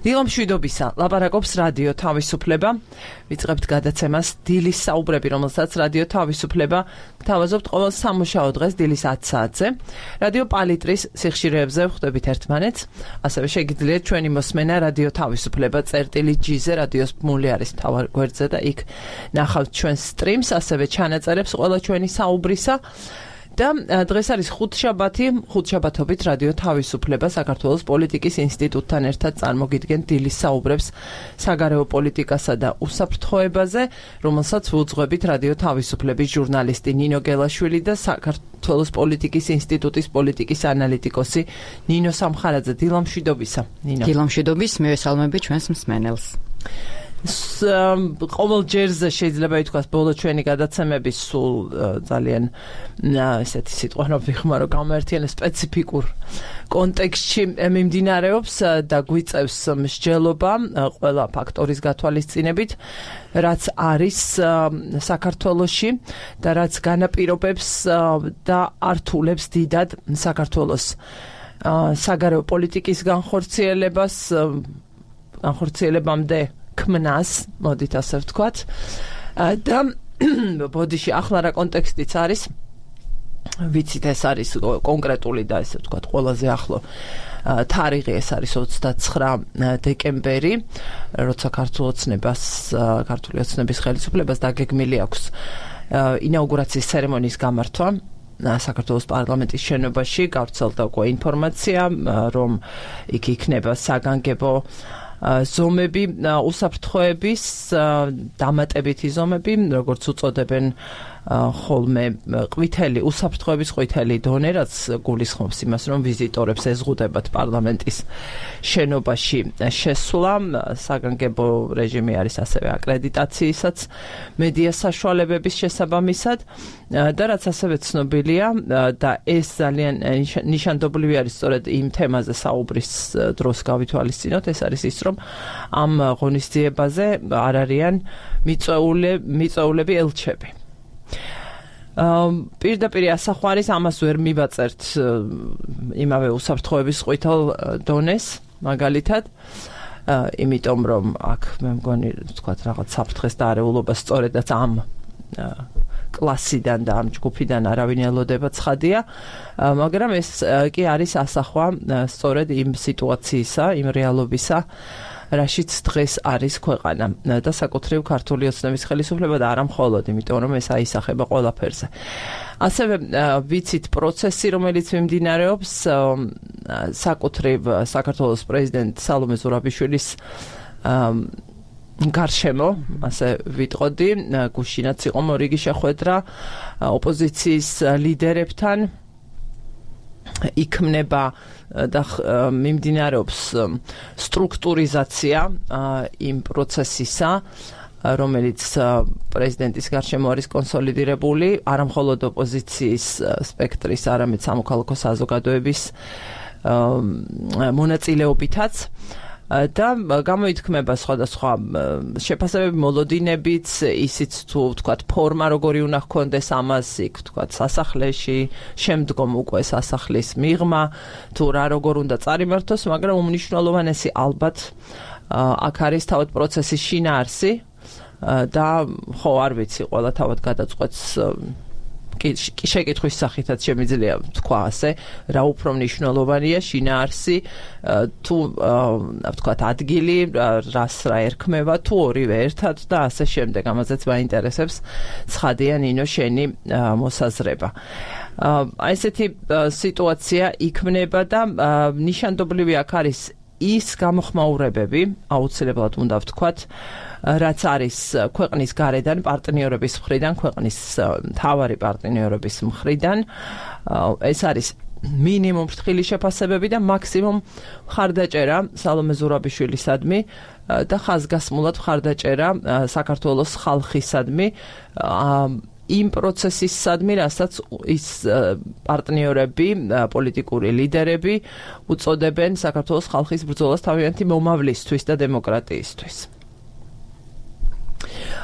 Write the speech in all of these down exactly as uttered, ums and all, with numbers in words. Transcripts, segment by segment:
დილომშვიდობისა, ლაპარაკობს რადიო თავისუფლება. ვიწყებთ გადაცემას დილის საუბრები, რომელსაც რადიო თავისუფლება გთავაზობთ ყოველ სამუშაო დღეს დილის ათი საათზე. რადიო პალიტრის სიხშირეებზე ვხვდებით ერთმანეთს. ასევე შეგიძლიათ ჩვენი მოსმენა რადიო თავისუფლება წერტილი ჯი-ზე, რადიოს ბმული არის მთავარ გვერდზე და იქ ნახავთ ჩვენს სტრიმს, ასევე ჩანაწერებს ყველა ჩვენი საუბრისა. და დღეს არის ხუთშაბათი, ხუთშაბათობით რადიო თავისუფლება საქართველოს პოლიტიკის ინსტიტუტთან ერთად წარმოგიდგენ დილის საუბრებს საგარეო პოლიტიკასა და უსაფრთხოებაზე, რომელსაც ვუძღვებით რადიო თავისუფლების ჟურნალისტი ნინო გელაშვილი და საქართველოს პოლიტიკის ინსტიტუტის პოლიტიკის ანალიტიკოსი ნინო სამხარაძე. დილამშვიდობისა, ნინო. დილამშვიდობის, მივესალმები ჩვენს მსმენელს. ყოველ ჯერზე შეიძლება ითქვას, ბოლო ჩვენი გადაცემები სულ ძალიან ესეთი სიტყვა რომ ვიხმარო გამართიანე სპეციფიკურ კონტექსტში მიმდინარეობს და გვიწევს მსჯელობა ყველა ფაქტორის გათვალისწინებით, რაც არის საქართველოში და რაც განაპირობებს და ართულებს დიდად საქართველოს საგარეო პოლიტიკის განხორციელებას, განხორციელებამდე ქმნას, მოდით ასე ვთქვათ. და ბოდიში ახლა რა კონტექსტიც არის, ვიცით ეს არის კონკრეტული და ესე ვთქვათ ყველაზე ახლო თარიღი, ეს არის ოცდაცხრა დეკემბერი, როცა ქართულ ოცნებას, ქართული ოცნების ხელისუფლებას დაგეგმილი აქვს ინაუგურაციის ცერემონიის გამართვა საქართველოს პარლამენტის შენობაში. გავრცელდა უკვე ინფორმაცია, რომ იქ იქნება საგანგებო ზომები, უსაფრთხოების, დამატებითი ზომები, როგორც უწოდებენ ხოლმე ყვითელი, უსაფრთხოების ყვითელი დონე, რაც გულისხმობს იმას, რომ ვიზიტორებს ეზღუდებათ პარლამენტის შენობაში შესვლა. საგანგებო რეჟიმი არის ასევე აკრედიტაციისაც მედია საშუალებების შესაბამისად და რაც ასევე ცნობილია და ეს ძალიან ნიშანდობლივი არის სწორედ იმ თემაზე საუბრის დროს გავითვალისწინოთ, ეს არის ის, რომ ამ ღონისძიებაზე არ არიან მიწვეულები ელჩები. პირდაპირ ასახვარის ამას ვერ მივაწერთ იმავე უსაფრთხოების ყვითელ დონეს მაგალითად, იმიტომ რომ აქ მე მგონი ვთქვათ რაღაც საფრთხეს და არეულობა სწორედაც ამ კლასიდან და ამ ჯგუფიდან არავინ ელოდება ცხადია, მაგრამ ეს კი არის ასახვა სწორედ იმ სიტუაციისა, იმ რეალობისა, რაშიც დღეს არის ქვეყანა და საკუთრივ ქართული ოცნების ხელისუფლება და არა მხოლოდ, იმიტომ რომ ეს აისახება ყველაფერზე. ასევე ვიცით პროცესი, რომელიც მიმდინარეობს საკუთრივ საქართველოს პრეზიდენტ სალომე ზურაბიშვილის გარშემო, ასე ვიტყოდი, გუშინაც იყო მორიგი შეხვედრა ოპოზიციის ლიდერებთან. იქმნება და მიმდინარეობს სტრუქტურიზაცია იმ პროცესისა, რომელიც პრეზიდენტის გარშემო არის კონსოლიდირებული, არა მხოლოდ ოპოზიციის სპექტრის, არამედ სამოქალაქო საზოგადოების მონაწილეობითაც. და გამოითქმება სხვადასხვა შეფასებები, მოლოდინებიც, ისიც თუ ვთქვათ ფორმა როგორი უნდა ჰქონდეს ამას, იქ ვთქვათ სასახლეში, შემდგომ უკვე სასახლის მიღმა, თუ რა როგორ უნდა წარიმართოს, მაგრამ უმნიშვნელოვანესი ალბათ აქ არის თავად პროცესის შინაარსი და ხო არ ვიცი, ყველა თავად გადაწყვეტს შეკითხვის სახითაც შემიძლია თქვა ასე, რა უფრო მნიშვნელოვანია, შინაარსი თუ ვთქვათ ადგილი, რას რა ერქმევა, თუ ორივე ერთად და ასე შემდეგ. ამაზეც მაინტერესებს ცხადია ნინო შენი მოსაზრება. აი ესეთი სიტუაცია იქმნება და ნიშანდობლივი აქ არის ის გამოხმაურებები, აუცილებლად უნდა ვთქვათ, რაც არის ქვეყნის გარედან პარტნიორების მხრიდან, ქვეყნის მთავარი პარტნიორების მხრიდან. ეს არის მინიმუმ ფრთხილი შეფასებები და მაქსიმუმ მხარდაჭერა სალომე ზურაბიშვილისადმი და ხაზგასმულად მხარდაჭერა საქართველოს ხალხისადმი იმ პროცესისადმი, რასაც ის პარტნიორები, პოლიტიკური ლიდერები უწოდებენ საქართველოს ხალხის ბრძოლას თავიანთი მომავლისთვის და დემოკრატიისთვის.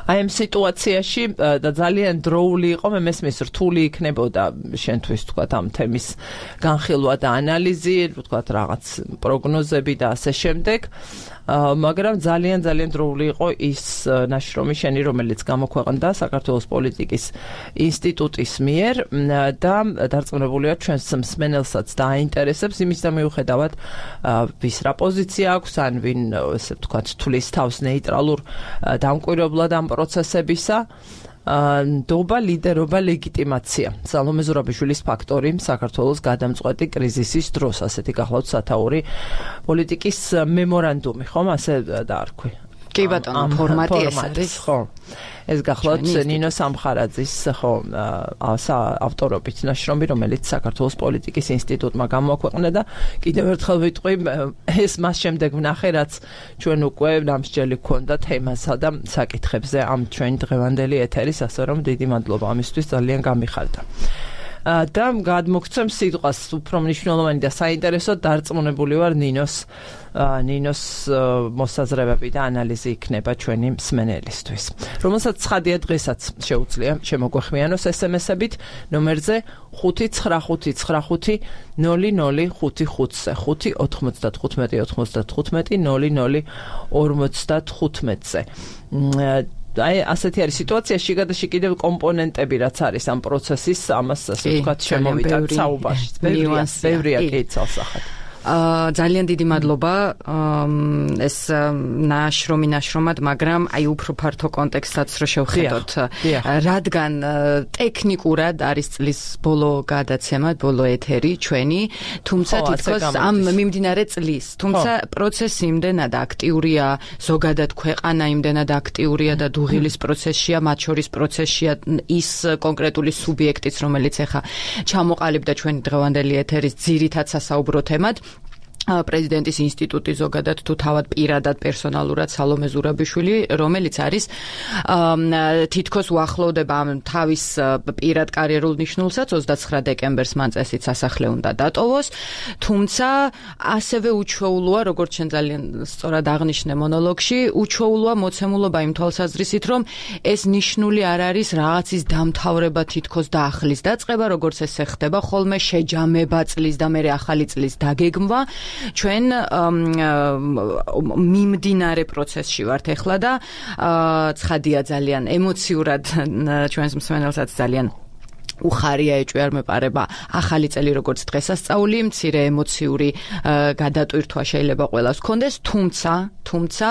აი ამ სიტუაციაში და ძალიან დროული იყო, მე მესმის რთული იქნებოდა შენთვის თქვა ამ თემის განხილვა და ანალიზი, თქვა რაღაც პროგნოზები და ასე შემდეგ. მაგრამ ძალიან ძალიან დროული იყო ის ნაშრომი შენი, რომელიც გამოქვეყნდა საქართველოს პოლიტიკის ინსტიტუტის მიერ და დარწმუნებულია ჩვენს მსმენელსაც დააინტერესებს იმის და მიუხედავად ვის რა პოზიცია აქვს, ან ვინ ესე ვთქვათ თulis თავს ნეიტრალურ დამკვირვებლად ამ პროცესებისა. ნდობა, ლიდერობა, ლეგიტიმაცია. სალომე ზურაბიშვილის ფაქტორი საქართველოს გადამწყვეტი კრიზისის დროს, ასეთი გახლავთ სათაური პოლიტიკის მემორანდუმი, ხომ ასე დაარქვი? კი ბატონო, ფორმატი ეს არის, ხო. ეს გახლავთ ნინო სამხარაძის, ხო, ავტორობით ნაშრომი, რომელიც საქართველოს პოლიტიკის ინსტიტუტმა გამოაქვეყნა და კიდევ ერთხელ ვიტყვი, ეს მას შემდეგ ვნახე, რაც ჩვენ უკვე ნამსჯელი გქონდა თემასა და საკითხებზე ამ ჩვენი დღევანდელი ეთერის, ასე რომ დიდი მადლობა ამისთვის, ძალიან გამიხარდა. და გადმოგცემ სიტყვას უფრო მნიშვნელოვანი და საინტერესო დარწმუნებული ვარ ნინოს ნინოს მოსაზრებები და ანალიზი იქნება ჩვენი მსმენელისთვის, რომელსაც ცხადია დღესაც შეუძლია შემოგვეხმიანოს ესემესებით ნომერზე ხუთი ცხრა ხუთი ცხრა ხუთი ნული ნული ხუთი ხუთზე ხუთი ოთხმოცდათხუთმეტი ოთხმოცდათხუთმეტი ნული ნული ორმოცდათხუთმეტზე. აი ასეთი არის სიტუაცია, შიგადაში კიდევ კომპონენტები რაც არის ამ პროცესის, ამას ასე ვთქვათ შემოვიდათ საუბარში. ბევრია კი ცალსახად. ძალიან დიდი მადლობა ეს ნაშრომი ნაშრომად, მაგრამ აი უფრო ფართო კონტექსტსაც რო შევხედოთ, რადგან ტექნიკურად არის წლის ბოლო გადაცემა, ბოლო ეთერი ჩვენი, თუმცა თითქოს ამ მიმდინარე წლის, თუმცა პროცესი იმდენად აქტიურია, ზოგადად ქვეყანა იმდენად აქტიურია და დუღილის პროცესშია, მათ შორის პროცესშია ის კონკრეტული სუბიექტიც, რომელიც ახლა ჩამოყალიბდა ჩვენი დღევანდელი ეთერის ძირითად სასაუბრო თემად. პრეზიდენტის ინსტიტუტი ზოგადად თუ თავად პირადად პერსონალურად სალომე ზურაბიშვილი, რომელიც არის თითქოს უახლოვდება თავის პირად კარიერულ ნიშნულსაც, ოცდაცხრა დეკემბერს მან წესით სასახლე უნდა დატოვოს, თუმცა ასევე უჩვეულოა, როგორც შენ ძალიან სწორად აღნიშნე მონოლოგში, უჩვეულოა მოცემულობა იმ თვალსაზრისით, რომ ეს ნიშნული არ არის რაღაცის დამთავრება, თითქოს და ახლის დაწყება, როგორც ესე ხდება ხოლმე, შეჯამება წლის და მერე ახალი წლის დაგეგმვა. ჩვენ მიმდინარე პროცესში ვართ ახლა და ცხადია ძალიან ემოციურად ჩვენს მსმენელსაც ძალიან უხარია ეჭვი არ მეპარება ახალი წელი როგორც დღესასწაული, მცირე ემოციური გადატვირთვა შეიძლება ყველას ჰქონდეს, თუმცა თუმცა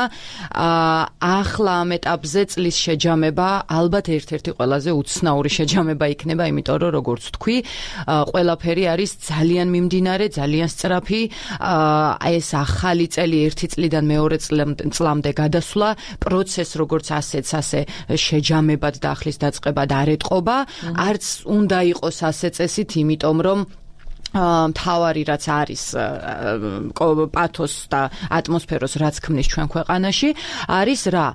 ახლა ამ ეტაპზე წლის შეჯამება ალბათ ერთ-ერთი ყველაზე უცნაური შეჯამება იქნება, იმიტომ რომ როგორც თქვი, ყველაფერი არის ძალიან მიმდინარე, ძალიან სწრაფი, ეს ახალი წელი ერთი წლიდან მეორე წლამდე გადასვლა, პროცესს როგორც ასეც ასე შეჯამებად და ახლის დაწყებად არ ეტყობა, არც უნდა იყოს ასე წესით, იმიტომ რომ მთავარი რაც არის პათოს და ატმოსფეროს რაც ქმნის ჩვენ ქვეყანაში, არის რა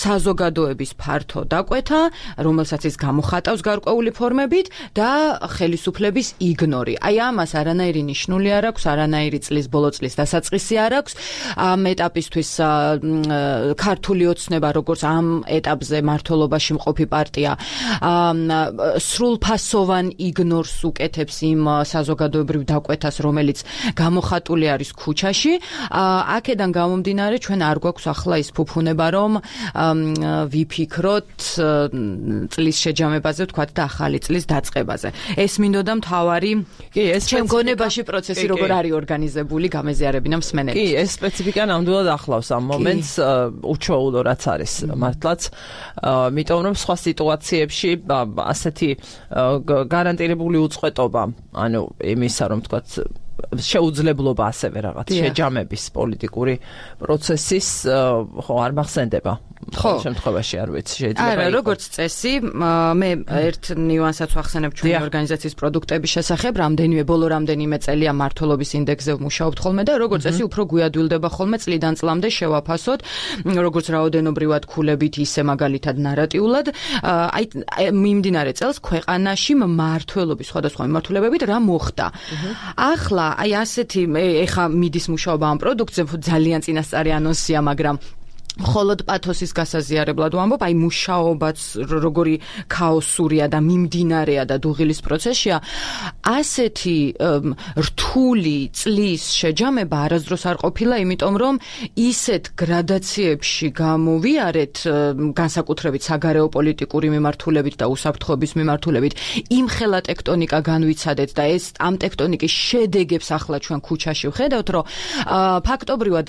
საზოგადოების ფართო დაკვეთა, რომელსაც ის გამოხატავს გარკვეული ფორმებით და ხელისუფლების იგნორი. აი ამას არანაირი ნიშნული არ აქვს, არანაირი წლის ბოლო წლის დასაწყისი არ აქვს. ამ ეტაპისთვის ქართული ოცნება, როგორც ამ ეტაპზე მმართველობაში მყოფი პარტია, სრულფასოვან იგნორს უკეთებს იმ საზოგადოებრივ დაკვეთას, რომელიც გამოხატული არის ქუჩაში. აქედან გამომდინარე, ჩვენ არ გვაქვს ახლა ის ფუფუნება, რომ ვიფიქროთ წლის შეჯამებაზე, ვთქვათ და ახალი წლის დაწყებაზე. ეს მინდოდა მთავარი ჩემ გონებაში პროცესი როგორ არის ორგანიზებული, გამეზიარებინა მსმენელს. კი, ეს სპეციფიკა ნამდვილად ახლავს ამ მომენტს, უჩვეულო რაც არის მართლაც, იმიტომ რომ სხვა სიტუაციებში ასეთი გარანტირებული უწყვეტობა, ანუ იმისა, რომ თქვათ შეუძლებლობა ასევე რაღაც შეჯამების პოლიტიკური პროცესის ხო არ მახსენდება. ხო, შემთხვევაში არ ვიცი, შეიძლება. არა, როგორც წესი, მე ერთ ნიუანსად ვახსენებ ჩვენი ორგანიზაციის პროდუქტების შესახებ, რამდენიმე ბოლო რამდენიმე წელია მმართველობის ინდექსზე ვმუშაობთ ხოლმე და როგორც წესი უფრო გვიადვილდება ხოლმე წლიდან წლამდე შევაფასოთ, როგორც რაოდენობრივად ქულებით, ისე მაგალითად ნარატიულად, აი მიმდინარე წელს ქვეყანაში მმართველობის სხვადასხვა მიმართულებებით რა მოხდა. ახლა აი ასეთი ეხა მიდის მუშაობა ამ პროდუქტზე, ძალიან წინასწარი ანონსია, მაგრამ холод პათოსის გასაზიარებლად ვამბობ, აი მუშაობაც როგორი ქაოსურია და მიმდინარეა და დუღილის პროცესია, ასეთი რთული წლის შეჯამება არასდროს არ ყოფილა, იმიტომ რომ ისეთ გრადაციებში გამოვიარეთ განსაკუთრებით საგარეო პოლიტიკური მიმართულებით და უსაფრთხოების მიმართულებით, იმხელა ტექტონიკა განვიცადეთ და ეს ამ ტექტონიკის შედეგებს ახლა ჩვენ ქუჩაში ვხედავთ, რომ ფაქტობრივად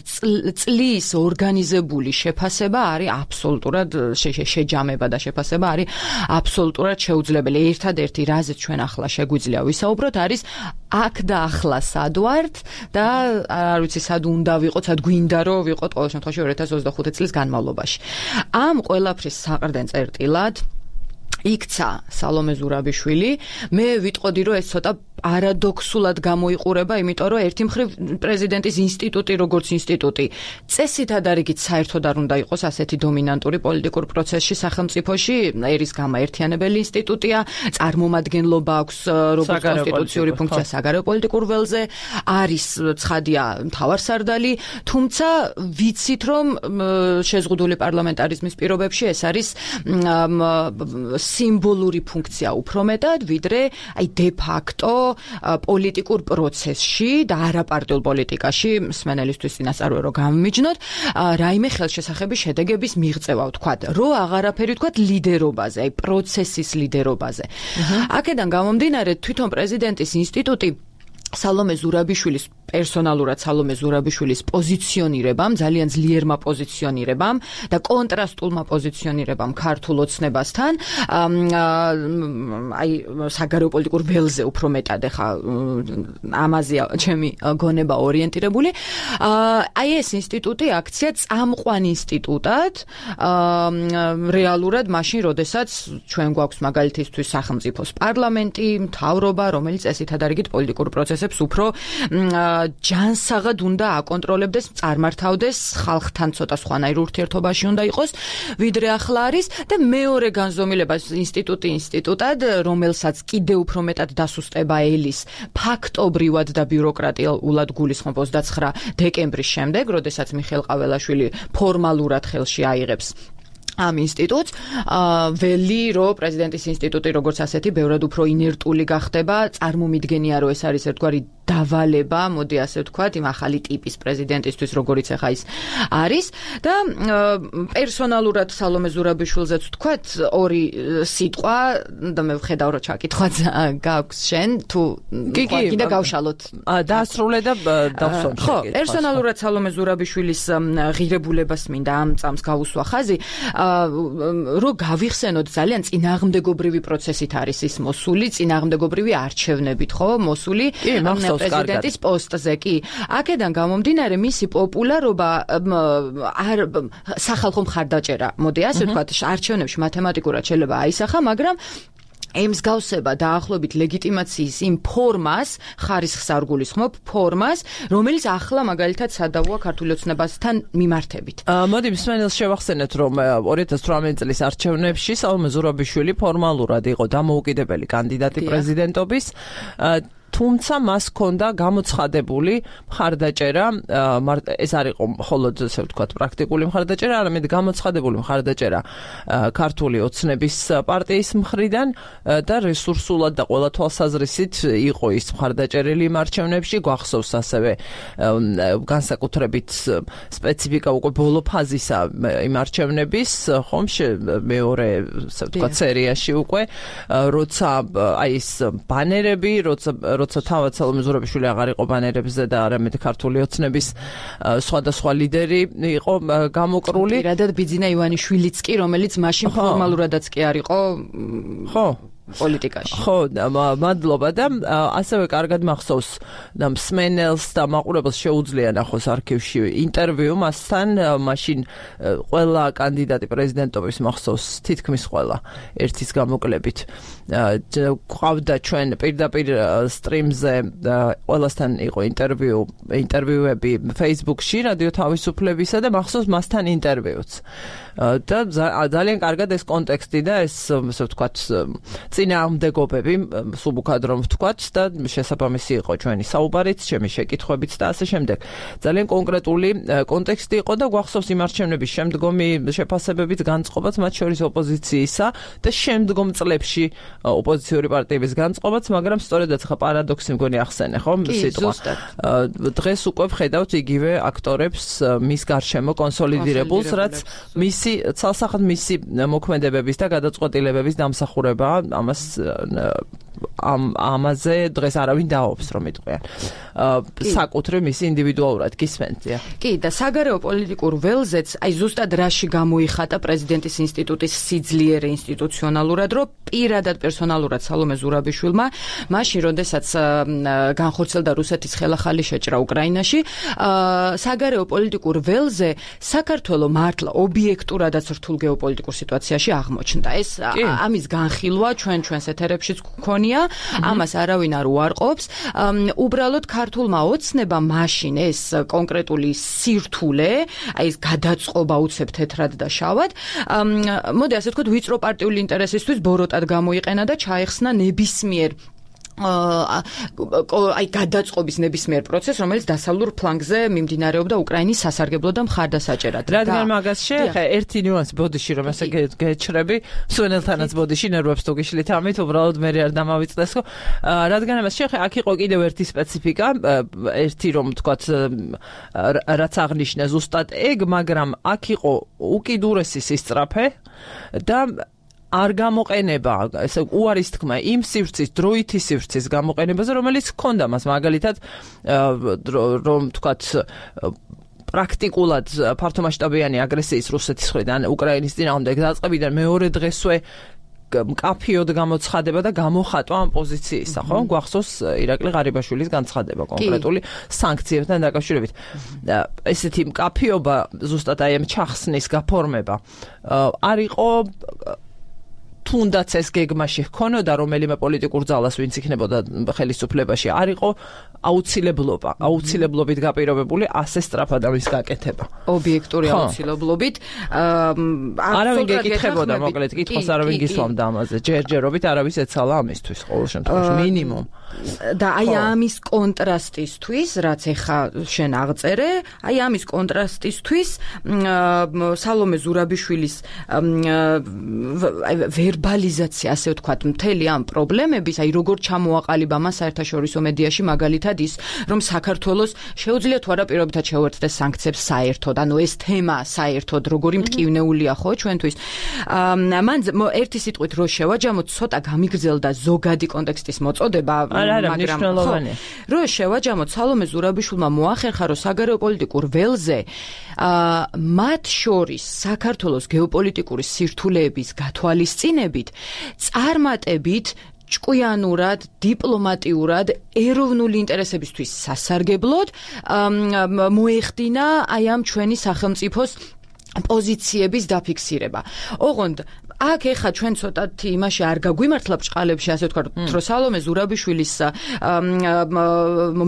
წლის ორგანიზებული შეფასება არის აბსოლუტურად შეჯამება და შეფასება არის აბსოლუტურად შეუძლებელი. ერთადერთი რაზეც ჩვენ ახლა შეგვიძლია ვისაუბროთ არის აქ და ახლა სად ვართ და არ ვიცი სად უნდა ვიყოთ, სად გვინდა რომ ვიყოთ ყოველ შემთხვევაში ორი ათას ოცდახუთი წლის განმავლობაში. ამ ყველაფრის საყრდენ წერტილად იქცა სალომე ზურაბიშვილი. მე ვიტყოდი რომ ეს ცოტა პარადოქსულად გამოიყურება, იმიტომ რომ ერთი მხრივ პრეზიდენტის ინსტიტუტი როგორც ინსტიტუტი წესით ადარიგით საერთოდ არ უნდა იყოს ასეთი დომინანტური პოლიტიკურ პროცესში სახელმწიფოში, ერის გამაერთიანებელი ინსტიტუტია, წარმომადგენლობა აქვს როგორც კონსტიტუციური ფუნქცია საგარეო პოლიტიკურ ველზე, არის ცხადია მთავარსარდალი, თუმცა ვიცით რომ შეზღუდული პარლამენტარიზმის პირობებში ეს არის სიმბოლური ფუნქცია უფრო მეტად, ვიდრე აი დე ფაქტო პოლიტიკურ პროცესში და არაპარტიულ პოლიტიკაში მსმენელისთვის წინასწარ რო გამიმიჯნოთ, რაიმე ხელშესახების შედეგების მიღწევა ვთქვათ, რო აღარაფერი ვთქვათ ლიდერობაზე, აი პროცესის ლიდერობაზე. აქედან გამომდინარე თვითონ პრეზიდენტის ინსტიტუტი სალომე ზურაბიშვილის პერსონალურად სალომე ზურაბიშვილის პოზიციონირებამ, ძალიან ძლიერმა პოზიციონირებამ და კონტრასტულმა პოზიციონირებამ ქართულ ოცნებასთან, აი საგარეო პოლიტიკურ ველზე უფრო მეტად ეხა ამაზეა ჩემი გონება ორიენტირებული. აი ეს ინსტიტუტი აქცია წამყვან ინსტიტუტად რეალურად მაშინ, როდესაც ჩვენ გვაქვს მაგალითისთვის სახელმწიფოს პარლამენტი, მთავრობა, რომელიც წესით ადარიგით პოლიტიკურ პროცესებს უფრო ჯანსაღად უნდა აკონტროლებდეს, წარმართავდეს, ხალხთან ცოტა სხვანაირ ურთიერთობაში უნდა იყოს, ვიდრე ახლა არის და მეორე განზომილება ინსტიტუტი ინსტიტუტად, რომელსაც კიდევ უფრო მეტად დასუსტება ელის ფაქტობრივად და ბიუროკრატიულად გულისხმობ ოცდაცხრა დეკემბრის შემდეგ, როდესაც მიხეილ ყაველაშვილი ფორმალურად ხელში აიღებს ამ ინსტიტუტს, ველი რომ პრეზიდენტის ინსტიტუტი როგორც ასეთი ბევრად უფრო ინერტული გახდება, წარმომიდგენია რომ ეს არის ერთგვარი დავალება, მოდი ასე ვთქვათ, იმ ახალი ტიპის პრეზიდენტისთვის, როგორიც ახლა ის არის და პერსონალურად სალომე ზურაბიშვილზეც ვთქვათ, ორი სიტყვა და მე ვხედავ რომ ჩაკითხვაც გაქვს შენ, თუ კიდე გავშალოთ. დაასრულე და დავსვამ შეგეთ. ხო, პერსონალურად სალომე ზურაბიშვილის ღირებულებას მინდა ამ წამს გავუსვა ხაზი, რომ გავიხსენოთ ძალიან წინააღმდეგობრივი პროცესით არის ის მოსული, წინააღმდეგობრივი არჩევნებით, ხო, მოსული პრეზიდენტის პოსტზე კი. აქედან გამომდინარე მისი პოპულარობა არ სახალხო მხარდაჭერა, მოდი ასე ვთქვათ, არჩევნებში მათემატიკურად შეიძლება აისახა, მაგრამ ემსგავსება დაახლოებით ლეგიტიმაციის იმ ფორმას, ხარისხს არ გულისხმობ, ფორმას, რომელიც ახლა მაგალითად სადავოა ქართული ოცნებასთან მიმართებით. მოდი მსმენელს შევახსენეთ, რომ ორი ათას თვრამეტი წლის არჩევნებში სალომე ზურაბიშვილი ფორმალურად იყო დამოუკიდებელი კანდიდატი პრეზიდენტობის, თუმცა მას ჰქონდა გამოცხადებული მხარდაჭერა, ეს არ იყო მხოლოდ ასე ვთქვათ პრაქტიკული მხარდაჭერა, არამედ გამოცხადებული მხარდაჭერა ქართული ოცნების პარტიის მხრიდან და რესურსულად და ყველა თვალსაზრისით იყო ის მხარდაჭერილი იმ არჩევნებში, გვახსოვს ასევე განსაკუთრებით სპეციფიკა უკვე ბოლო ფაზისა იმ არჩევნების, ხომ მეორე ასე ვთქვათ სერიაში უკვე, როცა აი ეს ბანერები, როცა როცა თავად სალომე ზურაბიშვილი აღარ იყო ბანერებზე და არამედ ქართული ოცნების სხვადასხვა ლიდერი იყო გამოკრული. პირადად ბიძინა ივანიშვილიც კი, რომელიც მაშინ ფორმალურადაც კი არ იყო ხო პოლიტიკაში. ხო, მადლობა და ასევე კარგად მახსოვს და მსმენელს და მაყურებელს შეუძლია ნახოს არქივში ინტერვიუ მასთან, მაშინ ყველა კანდიდატი პრეზიდენტობის მახსოვს თითქმის ყველა ერთის გამოკლებით. ყავდა ჩვენ პირდაპირ სტრიმზე ყველასთან იყო ინტერვიუ, ინტერვიუები Facebook-ში, რადიო თავისუფლებისა და მახსოვს მასთან ინტერვიუც. და ძალიან კარგად ეს კონტექსტი და ეს ასე ვთქვათ წინააღმდეგობები, სუბუქად რომ ვთქვათ და შესაბამისი იყო ჩვენი საუბარიც, ჩემი შეკითხვებიც და ასე შემდეგ. ძალიან კონკრეტული კონტექსტი იყო და გვახსოვს იმ არჩევნების შემდგომი შეფასებებით განწყობაც, მათ შორის ოპოზიციისა და შემდგომ წლებში ოპოზიციური პარტიების განწყობაც, მაგრამ სწორედაც ხა პარადოქსი მგონი ახსენე, ხო? სიტყვა. დღეს უკვე ვხედავთ იგივე აქტორებს მის გარშემო კონსოლიდირებულს, რაც მისი ცალსახად მისი მოქმედებების და გადაწყვეტილებების დამსახურებაა. ამას ამ ამაზე დღეს არავინ დაობს რომ იტყვიან. საკუთრივ მისი ინდივიდუალურად გისმენთ. კი, და საგარეო პოლიტიკურ ველზეც აი ზუსტად რაში გამოიხატა პრეზიდენტის ინსტიტუტის სიძლიერე ინსტიტუციონალურად, რომ პირადად პერსონალურად სალომე ზურაბიშვილმა მაშინ, როდესაც განხორციელდა რუსეთის ხელახალი შეჭრა უკრაინაში, საგარეო პოლიტიკურ ველზე საქართველო მართლა ობიექტურადაც რთულ გეოპოლიტიკურ სიტუაციაში აღმოჩნდა. ეს ამის განხილვა ჩვენ ჩვენს ეთერებშიც გქონია, ამას არავინ არ უარყოფს. უბრალოდ ქართულმა ოცნებამ მაშინ ეს კონკრეტული სირთულე, აი ეს გადაწყობა უცებ თეთრად და შავად, მოდი ასე ვთქვათ, ვიწრო პარტიული ინტერესისთვის ბოროტად გამოიყენა და ჩაეხსნა ნებისმიერ აი გადაწყობის ნებისმიერ პროცესს, რომელიც დასავლურ ფლანგზე მიმდინარეობდა უკრაინის სასარგებლო და მხარდასაჭერად. რადგან მაგას შეეხე ერთი ნიუანსი ბოდიში რომ ესე გეჩრები, სვენელთანაც ბოდიში ნერვებს თუ გიშლით ამით, უბრალოდ მე არ დამავიწყდეს, ხო? რადგან ამას შეეხე, აქ იყო კიდევ ერთი სპეციფიკა, ერთი რომ ვთქვათ, რაც აღნიშნე ზუსტად ეგ, მაგრამ აქ იყო უკიდურესი სისწრაფე და არ გამოყენება, ესე უარის თქმა იმ სივრცის, დროითი სივრცის გამოყენებაზე, რომელიც ჰქონდა მას, მაგალითად, რომ ვთქვათ, პრაქტიკულად ფართომასშტაბიანი აგრესიის რუსეთის მხრიდან უკრაინის წინააღმდეგ დაწყებიდან მეორე დღესვე მკაფიოდ გამოცხადება და გამოხატვა ამ პოზიციისა, ხო? გვახსოვს ირაკლი ღარიბაშვილის განცხადება კონკრეტული სანქციებთან დაკავშირებით. ესეთი მკაფიობა, ზუსტად აი ამ ჩახსნის გაფორმება არ იყო თუნდაც ეს გეგმაში ჰქონოდა რომელიმე პოლიტიკურ ძალას, ვინც იქნებოდა ხელისუფლებაში, არ იყო აუცილებლობა, აუცილებლობით გაპირობებული ასე სწრაფად ამის გაკეთება. ობიექტური აუცილებლობით. არავინ გეკითხებოდა, მოკლედ, კითხვას არავინ გისვამდა ამაზე. ჯერჯერობით არავის ეცალა ამისთვის ყოველ შემთხვევაში მინიმუმ. და აი ამის კონტრასტისთვის, რაც ეხა შენ აღწერე, აი ამის კონტრასტისთვის სალომე ზურაბიშვილის ვერბალიზაცია, ასე ვთქვათ, მთელი ამ პრობლემების, აი როგორ ჩამოაყალიბა მას საერთაშორისო მედიაში, მაგალითად ის, რომ საქართველოს შეუძლია თუ არა პირობითად შეუერთდეს სანქციებს საერთოდ, ანუ ეს თემა საერთოდ როგორი მტკივნეულია ხო ჩვენთვის. მან ერთი სიტყვით რო შევაჯამოთ, ცოტა გამიგრძელდა ზოგადი კონტექსტის მოწოდება, მაგრამ რო შევაჯამოთ, სალომე ზურაბიშვილმა მოახერხა, რომ საგარეო პოლიტიკურ ველზე მათ შორის საქართველოს გეოპოლიტიკური სირთულეების გათვალისწინებით, წარმატებით ჭკვიანურად, დიპლომატიურად, ეროვნული ინტერესებისთვის სასარგებლოდ მოეხდინა აი ამ ჩვენი სახელმწიფოს პოზიციების დაფიქსირება. ოღონდ აქ ეხა ჩვენ ცოტათი იმაში არ გაგვიმართლა ბჭყალებში, ასე ვთქვათ, რომ სალომე ზურაბიშვილის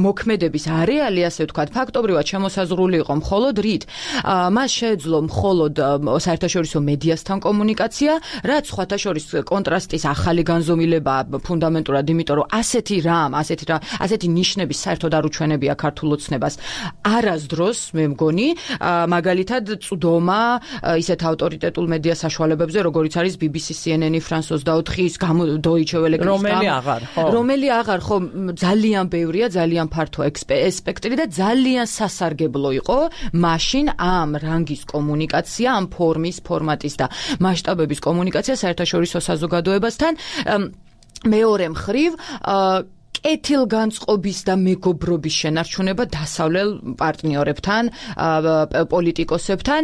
მოქმედების არეალი, ასე ვთქვათ, ფაქტობრივად შემოსაზღვრული იყო მხოლოდ რით. მას შეეძლო მხოლოდ საერთაშორისო მედიასთან კომუნიკაცია, რაც სხვათა შორის კონტრასტის ახალი განზომილება ფუნდამენტურად, იმიტომ რომ ასეთი რამ, ასეთი რა, ასეთი ნიშნების საერთოდ არ უჩვენებია ქართულ ოცნებას. არასდროს, მე მგონი, მაგალითად წვდომა ისეთ ავტორიტეტულ მედია საშუალებებზე, როგორიც არის ბი ბი სი, სი ენ ენ, ფრანს ოცდაოთხის, Deutsche Welle, რომელი აღარ, ხო? რომელი აღარ, ხო, ძალიან ბევრია, ძალიან ფართო სპექტრი და ძალიან სასარგებლო იყო მაშინ ამ რანგის კომუნიკაცია, ამ ფორმის, ფორმატის და მასშტაბების კომუნიკაცია საერთაშორისო საზოგადოებასთან. მეორე მხრივ კეთილგანწყობის და მეგობრობის შენარჩუნება დასავლელ პარტნიორებთან, პოლიტიკოსებთან,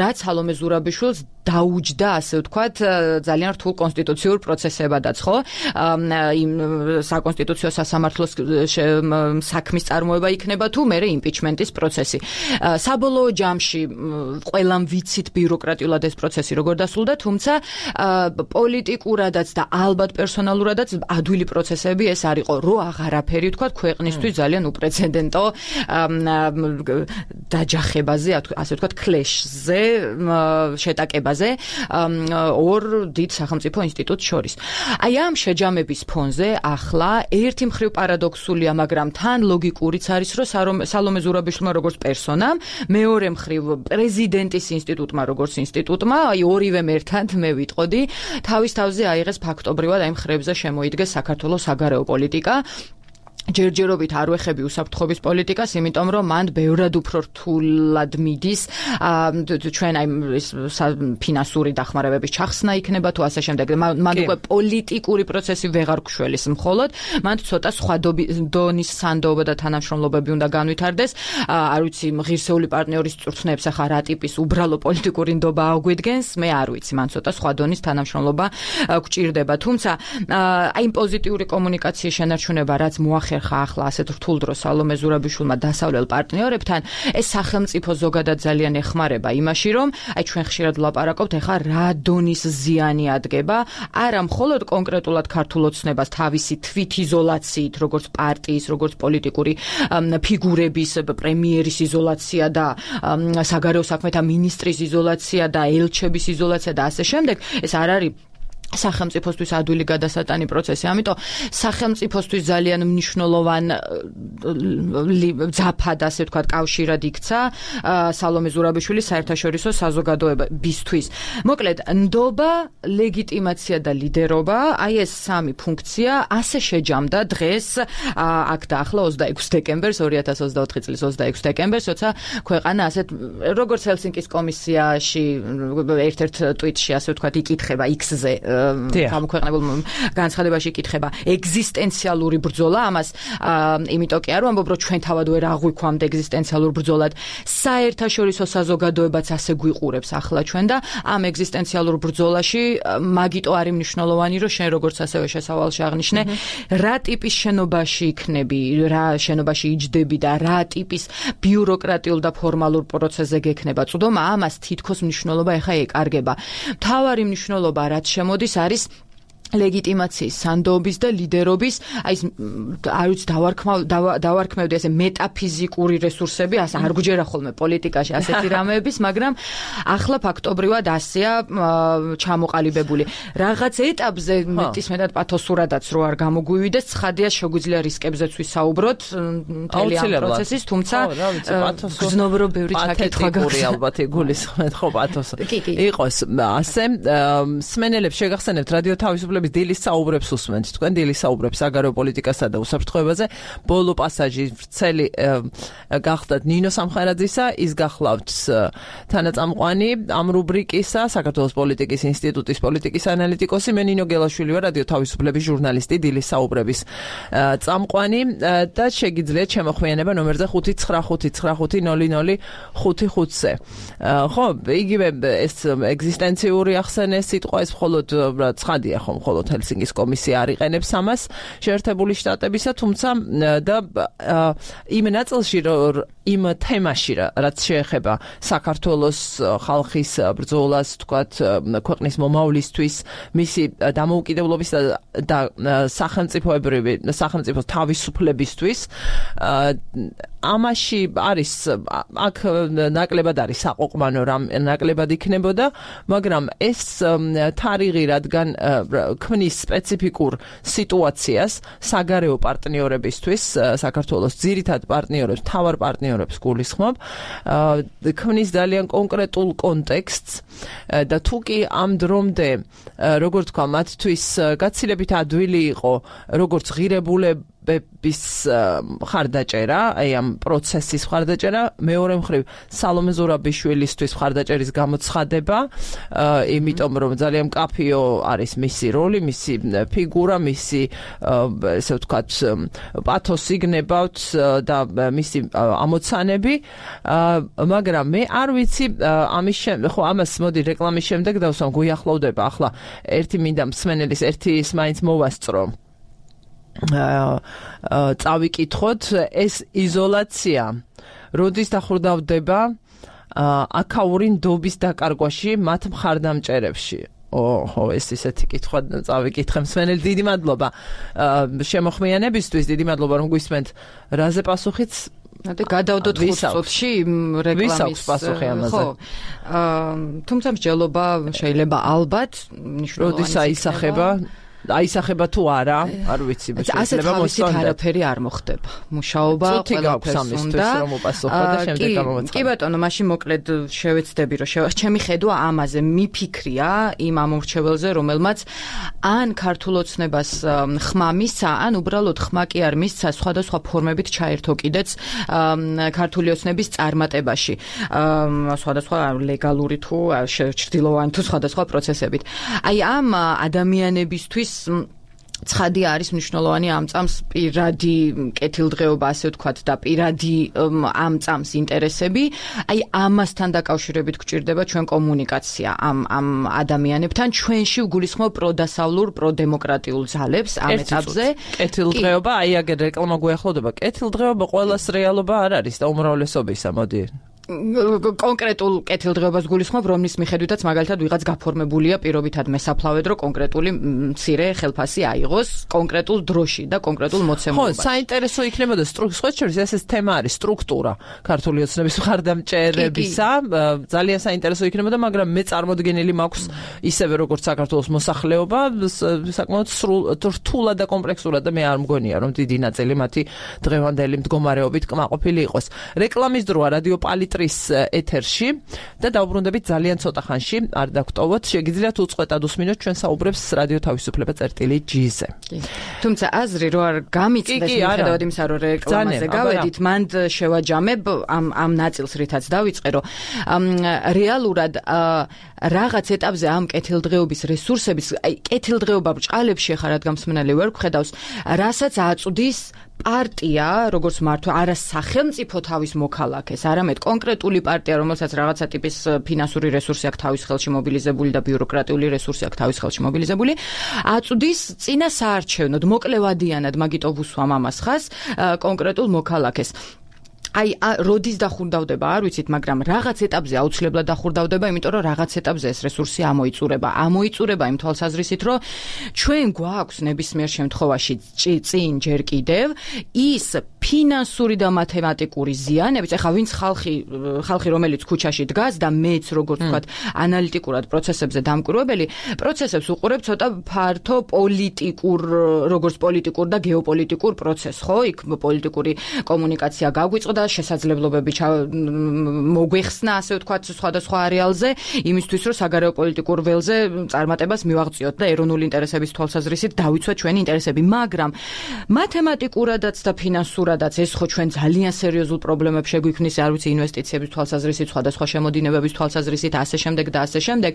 რაც სალომე ზურაბიშვილს დაუჯდა, ასე ვთქვათ, ძალიან რთულ კონსტიტუციურ პროცესებადაც, ხო? იმ საკონსტიტუციო სასამართლოს საქმის წარმოება იქნება თუ მერე იმპიჩმენტის პროცესი. საბოლოო ჯამში ყველამ ვიცით ბიუროკრატიულად ეს პროცესი როგორ დასრულდა, თუმცა პოლიტიკურადაც და ალბათ პერსონალურადაც ადვილი პროცესები ეს არ იყო, რო აღარაფერი ვთქვათ, ქვეყნისთვის ძალიან უპრეცედენტო დაჯახებაზე, ასე ვთქვათ, კლეშზე, შეტაკებაზე დაბაზე ორ დიდ სახელმწიფო ინსტიტუტს შორის. აი ამ შეჯამების ფონზე ახლა ერთი მხრივ პარადოქსულია, მაგრამ თან ლოგიკურიც არის, რომ სალომე ზურაბიშვილმა როგორც პერსონამ, მეორე მხრივ პრეზიდენტის ინსტიტუტმა როგორც ინსტიტუტმა, აი ორივემ ერთად მე ვიტყოდი, თავის თავზე აიღეს ფაქტობრივად აი მხრებზე შემოიდგეს საქართველოს საგარეო პოლიტიკა. ჯერჯერობით არ ვეხები უსაფრთხოების პოლიტიკას, იმიტომ რომ მან ბევრად უფრო რთულად მიდის ჩვენ აი ფინანსური დახმარებების ჩახსნა იქნება თუ ასე შემდეგ. მან უკვე პოლიტიკური პროცესი ვეღარ გშველის მხოლოდ, მან ცოტა სხვა დონის სანდოობა და თანამშრომლობები უნდა განვითარდეს. არ ვიცი, ღირსეული პარტნიორის წვრთნებს ახლა რა ტიპის უბრალო პოლიტიკური ნდობა აგვიდგენს, მე არ ვიცი, მან ცოტა სხვა დონის თანამშრომლობა გვჭირდება. თუმცა აი პოზიტიური კომუნიკაციის შენარჩუნება, რაც მოახერხა ახლა ასეთ რთულ დროს სალომე ზურაბიშვილმა დასავლელ პარტნიორებთან, ეს სახელმწიფო ზოგადად ძალიან ეხმარება იმაში, რომ აი ჩვენ ხშირად ვლაპარაკობთ ახლა რა დონის ზიანი ადგება, არა მხოლოდ კონკრეტულად ქართულ ოცნებას თავისი თვითიზოლაციით, როგორც პარტიის, როგორც პოლიტიკური ფიგურების, პრემიერის იზოლაცია და საგარეო საქმეთა მინისტრის იზოლაცია და ელჩების იზოლაცია და ასე შემდეგ, ეს არ არის სახელმწიფოსთვის ადვილი გადასატანი პროცესი. ამიტომ სახელმწიფოსთვის ძალიან მნიშვნელოვან ძაფად, ასე ვთქვათ, კავშირად იქცა სალომე ზურაბიშვილის საერთაშორისო საზოგადოებისთვის. მოკლედ, ნდობა, ლეგიტიმაცია და ლიდერობა, აი ეს სამი ფუნქცია ასე შეჯამდა დღეს, აქ და ახლა ოცდაექვსი დეკემბერს, ორი ათას ოცდაოთხი წლის ოცდაექვსი დეკემბერს, როცა ქვეყანა ასეთ როგორც ჰელსინკის კომისიაში ერთ-ერთ ტვიტში, ასე ვთქვათ, იკითხება X-ზე გამოქვეყნებულ განცხადებაში იკითხება ეგზისტენციალური ბრძოლა, ამას იმიტომ კი არ ვამბობ, რომ ჩვენ თავად ვერ აღვიქვამთ ეგზისტენციალურ ბრძოლად, საერთაშორისო საზოგადოებაც ასე გვიყურებს ახლა ჩვენ და ამ ეგზისტენციალურ ბრძოლაში მაგიტო არის მნიშვნელოვანი, რომ შენ როგორც ასევე შესავალში აღნიშნე, რა ტიპის შენობაში იქნები, რა შენობაში იჯდები და რა ტიპის ბიუროკრატიულ და ფორმალურ პროცესზე გექნება წვდომა, ამას თითქოს მნიშვნელობა ახლა ეკარგება. მთავარი მნიშვნელობა რაც შემოდის არის ლეგიტიმაციის, სანდოობის და ლიდერობის, აი არ ვიცი, დავარქმევდი ასე მეტაფიზიკური რესურსები, ასე არ გვჯერა ხოლმე პოლიტიკაში ასეთი რამეების, მაგრამ ახლა ფაქტობრივად ასეა ჩამოყალიბებული. რაღაც ეტაპზე მეტისმეტად პათოსურადაც რო არ გამოგვივიდეს, ცხადია შეგვიძლია რისკებზეც ვისაუბროთ მთელი ამ პროცესის, თუმცა გრძნობრო ბევრი ჩაკითხვა გაქვს. ალბათ იგულისხმეთ ხო პათოსი. იყოს ასე, სმენელებს შეგახსენებთ რადიო თავისუფლების დილის საუბრებს უსმენთ. თქვენ დილის საუბრებს საგარეო პოლიტიკასა და უსაფრთხოებაზე. ბოლო პასაჟი ვრცელი გახდათ ნინო სამხარაძისა, ის გახლავთ თანაწამყვანი ამ რუბრიკისა, საქართველოს პოლიტიკის ინსტიტუტის პოლიტიკის ანალიტიკოსი, მე ნინო გელაშვილი ვარ, რადიო თავისუფლების ჟურნალისტი, დილის საუბრების წამყვანი და შეგიძლიათ შემოხვიანება ნომერზე ხუთი ცხრა ხუთი ცხრა ხუთი ნული ნული ხუთი ხუთზე. ხო, იგივე ეს ეგზისტენციური ახსენეს სიტყვა, ეს მხოლოდ ცხადია ხომ მხოლოდ ჰელსინკის კომისია არ იყენებს ამას შეერთებული შტატებისა, თუმცა და იმ ნაწილში, იმ თემაში, რაც შეეხება საქართველოს ხალხის ბრძოლას, თქვათ, ქვეყნის მომავლისთვის, მისი დამოუკიდებლობის და სახელმწიფოებრივი სახელმწიფოს თავისუფლებისთვის, ამაში არის აქ ნაკლებად არის საყოყმანო რამ ნაკლებად იქნებოდა, მაგრამ ეს თარიღი, რადგან ქმნის სპეციფიკურ სიტუაციას საგარეო პარტნიორებისთვის, საქართველოს ძირითად პარტნიორებს, მთავარ პარტნიორებს გულისხმობ, ქმნის ძალიან კონკრეტულ კონტექსტს და თუ კი ამ დრომდე, როგორც თქვა, მათთვის გაცილებით ადვილი იყო, როგორც ღირებულები ბების ხარდაჭერა, აი ამ პროცესის ხარდაჭერა, მეორე მხრივ სალომე ზურაბიშვილისთვის ხარდაჭერის გამოცხადება, იმიტომ რომ ძალიან მკაფიო არის მისი როლი, მისი ფიგურა, მისი ესე ვთქვათ პათოსი გნებავთ და მისი ამოცანები, მაგრამ მე არ ვიცი ამის ხო ამას მოდი რეკლამის შემდეგ დავსვამ, გუიახლოვდება ახლა ერთი მინდა მსმენელის ერთი ის მაინც მოვასწრო. წავიკითხოთ, ეს იზოლაცია როდის დახურდავდება აქაური ნდობის დაკარგვაში მათ მხარდამჭერებში. ოჰო, ეს ისეთი კითხვა წავიკითხე მსმენელი, დიდი მადლობა შემოხმიანებისთვის, დიდი მადლობა რომ გვისმენთ. რაზე პასუხიც და გადავდოთ ხუთ წუთში რეკლამის ვისაქვს პასუხი ამაზე? ხო. თუმცა მსჯელობა შეიძლება ალბათ მნიშვნელოვანი როდის აისახება? აისახება თუ არა, არ ვიცი, შეიძლება მოსწონდეთ. არაფერი არ მოხდება. მუშაობა ყველაფერს უნდა. რომ უპასუხო და შემდეგ გამოვაცხადო. კი ბატონო, მაშინ მოკლედ შევეცდები, რომ ჩემი ხედვა ამაზე მიფიქრია იმ ამორჩეველზე, რომელმაც ან ქართულ ოცნებას ხმა მისცა, ან უბრალოდ ხმა კი არ მისცა სხვადასხვა ფორმებით ჩაერთო კიდეც ქართული ოცნების წარმატებაში. სხვადასხვა ლეგალური თუ ჩრდილოვანი თუ სხვადასხვა პროცესებით. აი ამ ადამიანებისთვის ცხადი არის მნიშვნელოვანი ამ წამს პირადი კეთილდღეობა, ასე ვთქვათ, და პირადი ამ წამს ინტერესები. აი ამასთან დაკავშირებით გვჭირდება ჩვენ კომუნიკაცია ამ ამ ადამიანებთან. ჩვენში ვგულისხმობ პროდასავლურ, პროდემოკრატიულ ძალებს ამ ეტაპზე. კეთილდღეობა, აი აგერ რეკლამა გვეახლოვდება. კეთილდღეობა ყოველას რეალობა არ არის და უმრავლესობისა, მოდი. კონკრეტულ კეთილდღეობას გულისხმობ, რომლის მიხედვითაც მაგალითად ვიღაც გაფორმებულია პირობითად მესაფლავედ, რომ კონკრეტული მცირე ხელფასი აიღოს კონკრეტულ დროში და კონკრეტულ მოცემულობაში. ხო, საინტერესო იქნებოდა სტრუქტურა, ეს ეს თემა არის სტრუქტურა ქართული ოცნების მხარდამჭერებისა. ძალიან საინტერესო იქნებოდა, მაგრამ მე წარმოდგენილი მაქვს ისევე როგორც საქართველოს მოსახლეობა, საკმაოდ რთულად და კომპლექსურად და მე არ მგონია, რომ დიდი ნაწილი მათი დღევანდელი მდგომარეობით კმაყოფილი იყოს. რეკლამის დროა რადიო პალიტ ეთერში და დავბრუნდებით ძალიან ცოტა ხანში, არ დაგტოვოთ, შეგიძლიათ უწყვეტად უსმინოთ ჩვენ საუბრებს რადიო თავისუფლება წერტილი ჯი-ზე. თუმცა აზრი რო არ გამიწდეს მიუხედავად იმისა, რომ რეკლამაზე გავედით, მანდ შევაჯამებ ამ ამ ნაწილს, რითაც დავიწყე, რომ რეალურად რაღაც ეტაპზე ამ კეთილდღეობის რესურსების, აი კეთილდღეობა ბრჭყალებში ხარ, რადგან მსმენელი ვერ გხედავს, რასაც აწვდის პარტია, როგორც მართვა, არა სახელმწიფო თავის მოქალაქეს, არამედ კონკრეტული პარტია, რომელსაც რაღაცა ტიპის ფინანსური რესურსი აქვს თავის ხელში მობილიზებული და ბიუროკრატიული რესურსი აქვს თავის ხელში მობილიზებული, აწვდის წინა საარჩევნოდ, მოკლევადიანად, მაგიტო ვუსვამ ამას ხას, კონკრეტულ მოქალაქეს. აი, როდის დახურდავდება, არ ვიცით, მაგრამ რაღაც ეტაპზე აუცილებლად დახურდავდება, იმიტომ რომ რაღაც ეტაპზე ეს რესურსი ამოიწურება. ამოიწურება იმ თვალსაზრისით, რომ ჩვენ გვაქვს ნებისმიერ შემთხვევაში წინ ჯერ კიდევ ის ფინანსური და მათემატიკური ზიანებიც, ეხლა ვინც ხალხი, ხალხი რომელიც ქუჩაში დგას და მეც როგორც ვთქვათ, ანალიტიკურად პროცესებზე დამკვირვებელი, პროცესებს უყურებ ცოტა ფართო პოლიტიკურ, როგორც პოლიტიკურ და გეოპოლიტიკურ პროცესს, ხო? იქ პოლიტიკური კომუნიკაცია გაგვიწყდა და შესაძლებლობები მოგვეხსნა, ასე ვთქვათ, სხვადასხვა არეალზე, იმისთვის, რომ საგარეო პოლიტიკურ ველზე წარმატებას მივაღწიოთ და ეროვნული ინტერესების თვალსაზრისით დავიცვათ ჩვენი ინტერესები, მაგრამ მათემატიკურადაც და ფინანსურადაც ეს ხო ჩვენ ძალიან სერიოზულ პრობლემებს შეგვიქმნის, არ ვიცი, ინვესტიციების თვალსაზრისით, სხვადასხვა შემოდინებების თვალსაზრისით, ასე შემდეგ და ასე შემდეგ.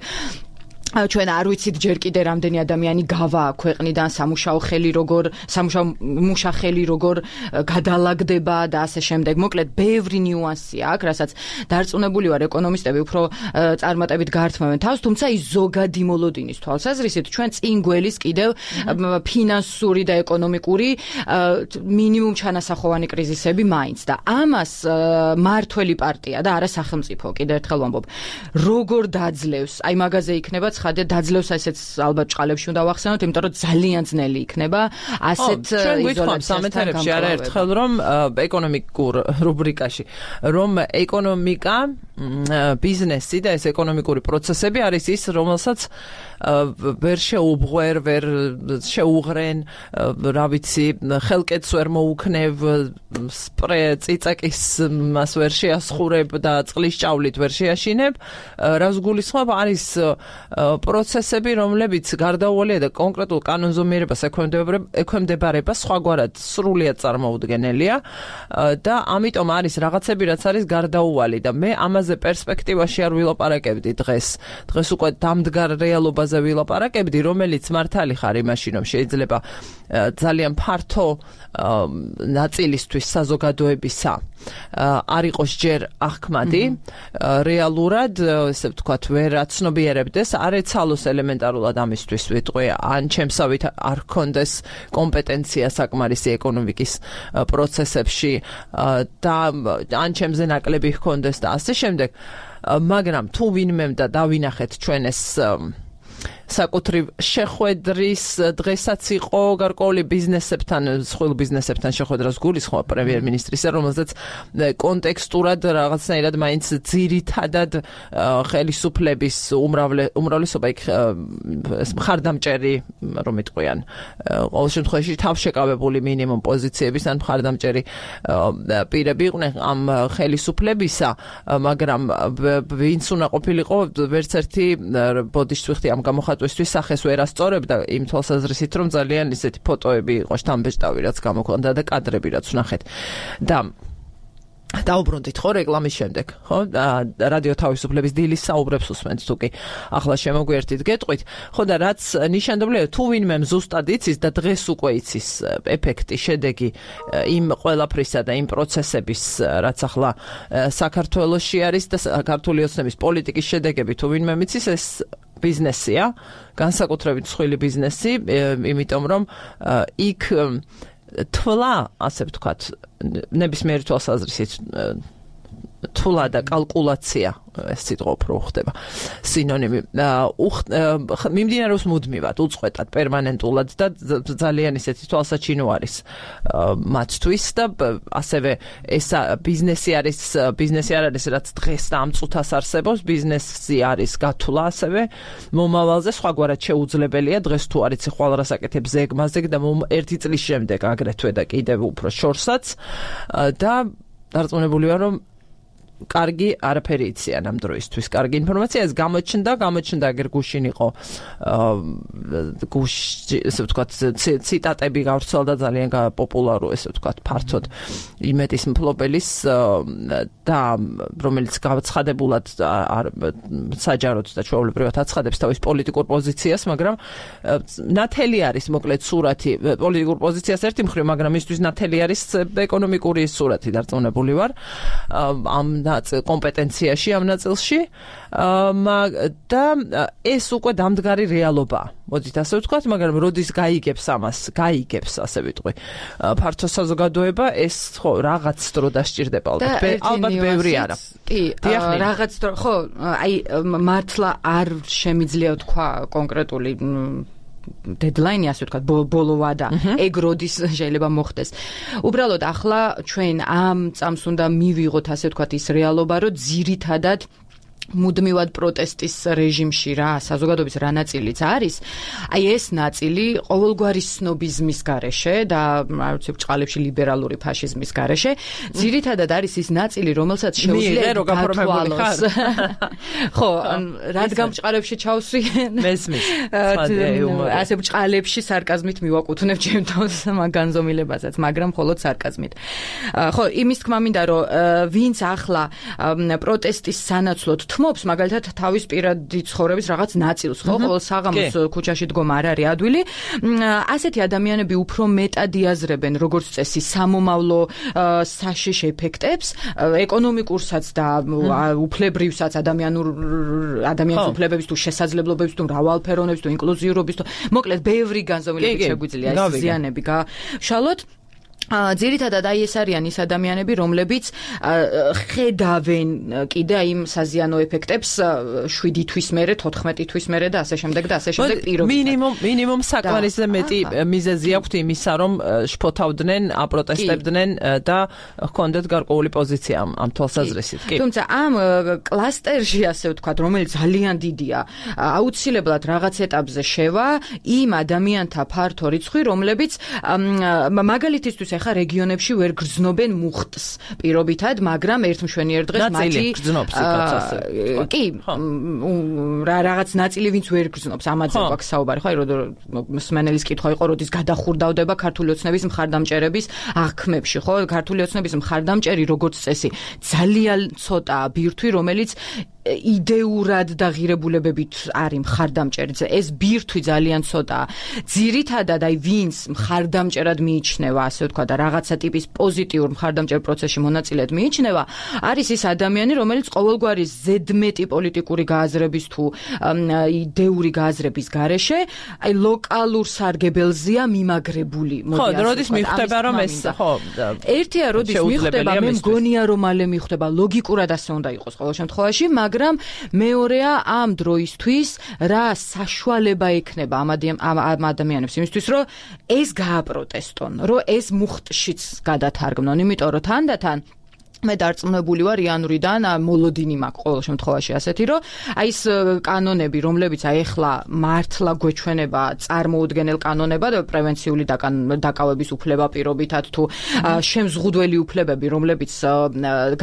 ჩვენ არ ვიცით ჯერ კიდე რამდენი ადამიანი გავა ქვეყნიდან, სამუშაო ხელი როგორ, სამუშაო მუშახელი როგორ გადალაგდება და ასე შემდეგ. მოკლედ, ბევრი ნიუანსი აქვს, რასაც დარწმუნებული ვარ ეკონომისტები უფრო წარმატებით გართმევენ თავს, თუმცა ის ზოგადი მოლოდინის თვალსაზრისით ჩვენ წინ გველის კიდევ ფინანსური და ეკონომიკური მინიმუმ ჩანასახოვანი კრიზისები მაინც და ამას მართველი პარტია და არა სახელმწიფო, კიდევ ერთხელ ვამბობ, როგორ დაძლევს, აი მაგაზე იქნება ხადე დაძლევს, ესეც ალბათ ჭყალებში უნდა ვახსენოთ, იმიტომ რომ ძალიან ძნელი იქნება ასეთ იზოლაციასთან არაერთხელ რომ ეკონომიკურ რუბრიკაში რომ ეკონომიკა, ბიზნესი და ეს ეკონომიკური პროცესები არის ის, რომელსაც ვერ შეუღვერ, ვერ შეუღრენ, რა ვიცი, ხელკეთს ვერ მოუქნევ, სპრე ციცაკის მას ვერ შეასხურებ და წყლის ჭავლით ვერ შეაშინებ, რას გულისხმობ, არის პროცესები, რომლებიც გარდაუვალია და კონკრეტულ კანონზომიერებას ექვემდებარება, სხვაგვარად სრულიად წარმოუდგენელია და ამიტომ არის რაღაცები, რაც არის გარდაუვალი და მე ამაზე პერსპექტივაში არ ვილაპარაკებდი დღეს. დღეს უკვე დამდგარ რეალობაზე ვილაპარაკებდი, რომელიც მართალი ხარ იმაში, რომ შეიძლება ძალიან ფართო ნაწილისთვის საზოგადოებისა არ იყოს ჯერ აღქმადი, რეალურად, ესე ვთქვათ, ვერ აცნობიერებდეს, არ ეცალოს ელემენტარულად ამისთვის ვიტყვი, ან ჩემსავით არ ჰქონდეს კომპეტენცია საკმარისი ეკონომიკის პროცესებში და ან ჩემზე ნაკლები ჰქონდეს და ასე შემდეგ, მაგრამ თუ ვინმემ და დავინახეთ ჩვენ ეს საკუთრივ შეხვედრის დღესაც იყო გარკვეული ბიზნესებთან, სხვილ ბიზნესებთან შეხვედრას გულისხმობ პრემიერ-მინისტრისა, რომელზეც კონტექსტურად რაღაცნაირად მაინც ძირითადად ხელისუფლების უმრავლესობა იქ მხარდამჭერი რომ იტყვიან ყოველ შემთხვევაში თავშეკავებული მინიმუმ პოზიციების ან მხარდამჭერი პირები იყვნენ ამ ხელისუფლებისა, მაგრამ ვინც უნდა ყოფილიყო ვერც ერთი ბოდიშს ვიხდი ამ გამოხატვისთვის სახეს ვერ ასწორებდა იმ თვალსაზრისით რომ ძალიან ისეთი ფოტოები იყო შთამბეჭდავი რაც გამოქვეყნდა და კადრები რაც ვნახეთ და დაუბრუნდით ხო რეკლამის შემდეგ, ხო? რადიო თავისუფლების დილის საუბრებს უსმენთ თუ კი ახლა შემოგვიერთით გეტყვით, ხო და რაც ნიშანდობლია თუ ვინმემ ზუსტად იცის და დღეს უკვე იცის ეფექტი, შედეგი იმ ყველაფრისა და იმ პროცესების, რაც ახლა საქართველოში არის და ქართული ოცნების პოლიტიკის შედეგები თუ ვინმემ იცის ეს ბიზნესია, განსაკუთრებით მსხვილი ბიზნესი, იმიტომ რომ იქ თვლა, ასე ვთქვათ, ნებისმიერი თვალსაზრისით თვლა და კალკულაცია ეს სიტყვა უფრო ხდება სინონიმი მიმდინარეობს მუდმივად, უწყვეტად, პერმანენტულად და ძალიან ისეთი თვალსაჩინო არის მათთვის და ასევე ეს ბიზნესი არის ბიზნესი არ არის რაც დღეს და ამ წუთას არსებობს, ბიზნესი არის გათვლა ასევე მომავალზე, სხვაგვარად შეუძლებელია დღეს თუ არ იცი ხვალ რას აკეთებ ზეგმაზე და ერთი წლის შემდეგ აგრეთვე და კიდევ უფრო შორსაც და დარწმუნებული ვარ რომ კარგი არაფერი იციან ამ დროისთვის, კარგი ინფორმაცია ეს გამოჩნდა, გამოჩნდა აგერ გუშინ იყო გუშ ესე ვთქვათ ციტატები გავრცელდა ძალიან პოპულარო ესე ვთქვათ ფართოდ იმეთის მფლობელის და რომელიც გაცხადებულად საჯაროდ და ჩვეულებრივად აცხადებს თავის პოლიტიკურ პოზიციას, მაგრამ ნათელი არის მოკლედ სურათი პოლიტიკურ პოზიციას ერთი მხრივ, მაგრამ მისთვის ნათელი არის ეკონომიკური სურათი დარწმუნებული ვარ ამ კომპეტენციაში ამ ნაწილში და ეს უკვე დამდგარი რეალობაა. მოდით ასე ვთქვათ, მაგრამ როდის გაიგებს ამას, გაიგებს ასე ვიტყვი. ფართო საზოგადოება ეს ხო რაღაც დრო დასჭირდება ალბათ, ალბათ ბევრი არა. კი, რაღაც დრო, ხო, აი მართლა არ შემიძლია თქვა კონკრეტული დედლაინი ასე ვთქვათ, ბოლო ვადა, ეგ როდის შეიძლება მოხდეს. უბრალოდ ახლა ჩვენ ამ წამს უნდა მივიღოთ ასე ვთქვათ ის რეალობა, რომ ძირითადად მუდმივად პროტესტის რეჟიმში რა საზოგადოების რა ნაწილიც არის, აი ეს ნაწილი ყოველგვარი სნობიზმის გარეშე და რა ვიცი ბჭყალებში ლიბერალური ფაშიზმის გარეშე, ძირითადად არის ის ნაწილი, რომელსაც შეუძლია გათვალოს. ხო, რადგან ბჭყალებში ჩავსვი მესმის. ასე ბჭყალებში სარკაზმით მივაკუთვნებ ჩემ თავს მაგ განზომილებასაც, მაგრამ მხოლოდ სარკაზმით. ხო, იმის თქმა მინდა, რომ ვინც ახლა პროტესტის სანაცვლოდ თმობს მაგალითად თავის პირადი ცხოვრების რაღაც ნაწილს, ხო, ყოველ საღამოს ქუჩაში დგომა არ არის ადვილი. ასეთი ადამიანები უფრო მეტად იაზრებენ როგორც წესი სამომავლო საშიშ ეფექტებს, ეკონომიკურსაც და უფლებრივსაც ადამიანურ ადამიანის უფლებების თუ შესაძლებლობების თუ მრავალფეროვნების თუ ინკლუზიურობის თუ მოკლედ ბევრი განზომილებით შეგვიძლია ეს ზიანები გაშალოთ. ძირითადად აი ეს არიან ის ადამიანები, რომლებიც ხედავენ კიდე იმ საზიანო ეფექტებს შვიდი თვის მერე, თოთხმეტი თვის მერე და ასე შემდეგ და ასე შემდეგ პირობითად. მინიმუმ მინიმუმ საკმარისზე მეტი მიზეზი აქვთ იმისა, რომ შფოთავდნენ, აპროტესტებდნენ და ჰქონდეთ გარკვეული პოზიცია ამ თვალსაზრისით. კი. თუმცა ამ კლასტერში ასე ვთქვათ, რომელიც ძალიან დიდია, აუცილებლად რაღაც ეტაპზე შევა იმ ადამიანთა ფართო რიცხვი, რომლებიც მაგალითისთვის ახლა რეგიონებში ვერ გრძნობენ მუხტს პირობითად, მაგრამ ერთ მშვენიერ დღეს მათი გრძნობს იქაც ასე. კი, რა რაღაც ნაწილი ვინც ვერ გრძნობს, ამაზე გვაქვს საუბარი, ხო, აი მსმენელის კითხვა იყო, როდის გადახურდავდება ქართული ოცნების მხარდამჭერების აღქმებში, ხო? ქართული ოცნების მხარდამჭერი როგორც წესი ძალიან ცოტაა ბირთვი, რომელიც იდეურად და ღირებულებებით არის მხარდამჭერი. ეს ბირთვი ძალიან ცოტაა. ძირითადად აი ვინც მხარდამჭერად მიიჩნევა, ასე ვთქვა და რაღაცა ტიპის პოზიტიურ მხარდამჭერ პროცესში მონაწილედ მიიჩნევა, არის ის ადამიანი, რომელიც ყოველგვარი ზედმეტი პოლიტიკური გააზრების თუ იდეური გააზრების გარეშე, აი ლოკალურ სარგებელზეა მიმაგრებული. ხო, როდის მიხვდება რომ ეს ხო, ერთია როდის მიხვდება, მე მგონია რომ მალე მიხვდება, ლოგიკურად ასე უნდა იყოს ყოველ შემთხვევაში, მაგრამ მეორეა ამ დროისთვის რა საშუალება ექნება ამ ადამიანებს იმისთვის რომ ეს გააპროტესტონ, რომ ეს მუხტშიც გადათარგმნონ, იმიტომ რომ თანდათან მე დარწმუნებული ვარ იანვრიდან მოლოდინი მაქვს ყოველ შემთხვევაში ასეთი რომ აი ეს კანონები რომლებიც აი ახლა მართლა გვეჩვენება წარმოუდგენელ კანონებად პრევენციული დაკავების უფლება პირობითად თუ შემზღუდველი უფლებები რომლებიც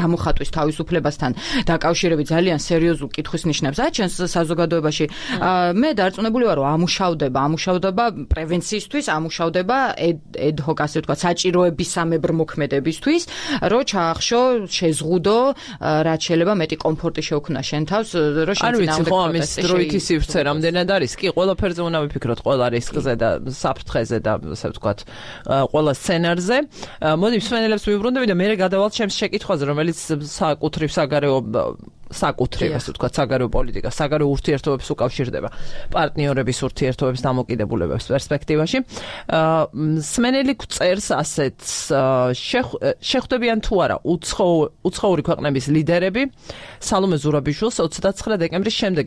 გამოხატვის თავისუფლებასთან დაკავშირებით ძალიან სერიოზულ კითხვის ნიშნებს აჩენს საზოგადოებაში მე დარწმუნებული ვარ რომ ამუშავდება ამუშავდება პრევენციისთვის ამუშავდება ედ-ჰოკ ასე ვთქვათ საჭიროებისამებრ მოქმედებისთვის რომ ჩაახშო შეზღუდო რაც შეიძლება მეტი კომფორტი შეუქმნა შენ თავს რომ შენ წინააღმდეგ ხო ამის დროითი სივრცე რამდენად არის კი ყველაფერზე უნდა ვიფიქროთ ყველა რისკზე და საფრთხეზე და ასე ვთქვათ ყველა სცენარზე მოდი მსმენელებს ვიუბრუნდები და მე გადავალთ ჩემს შეკითხვაზე რომელიც საკუთრივ საგარეო საკუთრივ ასე ვთქვათ საგარეო პოლიტიკა საგარეო ურთიერთობებს უკავშირდება პარტნიორების ურთიერთობების დამოკიდებულებებს პერსპექტივაში მსმენელი წერს ასეთს შეხვდებიან თუ არა უცხოური ქვეყნების ლიდერები სალომე ზურაბიშვილს ოცდაცხრა დეკემბრის შემდეგ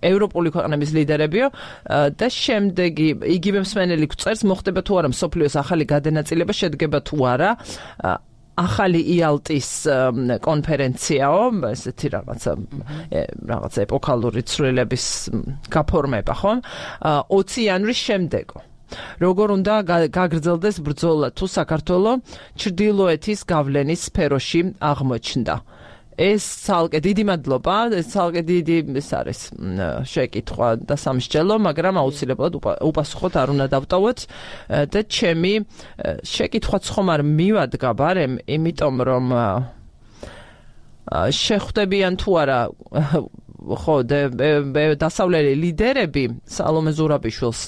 ევროპული ქვეყნების ლიდერებიო და შემდეგი იგივე მსმენელი წერს მოხდება თუ არა მსოფლიოს ახალი გადანაწილება შედგება თუ არა ახალი იალტის კონფერენციაო, ესეთი რაღაცა რაღაცა ეპოქალური ცვლილების გაფორმება, ხო? ოცი იანვრის შემდეგო. როგორ უნდა გაგრძელდეს ბრძოლა თუ საქართველოს ჩრდილოეთის გავლენის სფეროში აღმოჩნდა? ეს ცალკე დიდი მადლობა, ეს ცალკე დიდი ეს არის შეკითხვა და სამსჯელო, მაგრამ აუცილებლად უპასუხოთ არ უნდა დავტოვოთ და ჩემი შეკითხვაც ხომ არ მივადგა ბარემ, იმიტომ რომ შეხვდებიან თუ არა ხო დასავლელი ლიდერები სალომე ზურაბიშვილს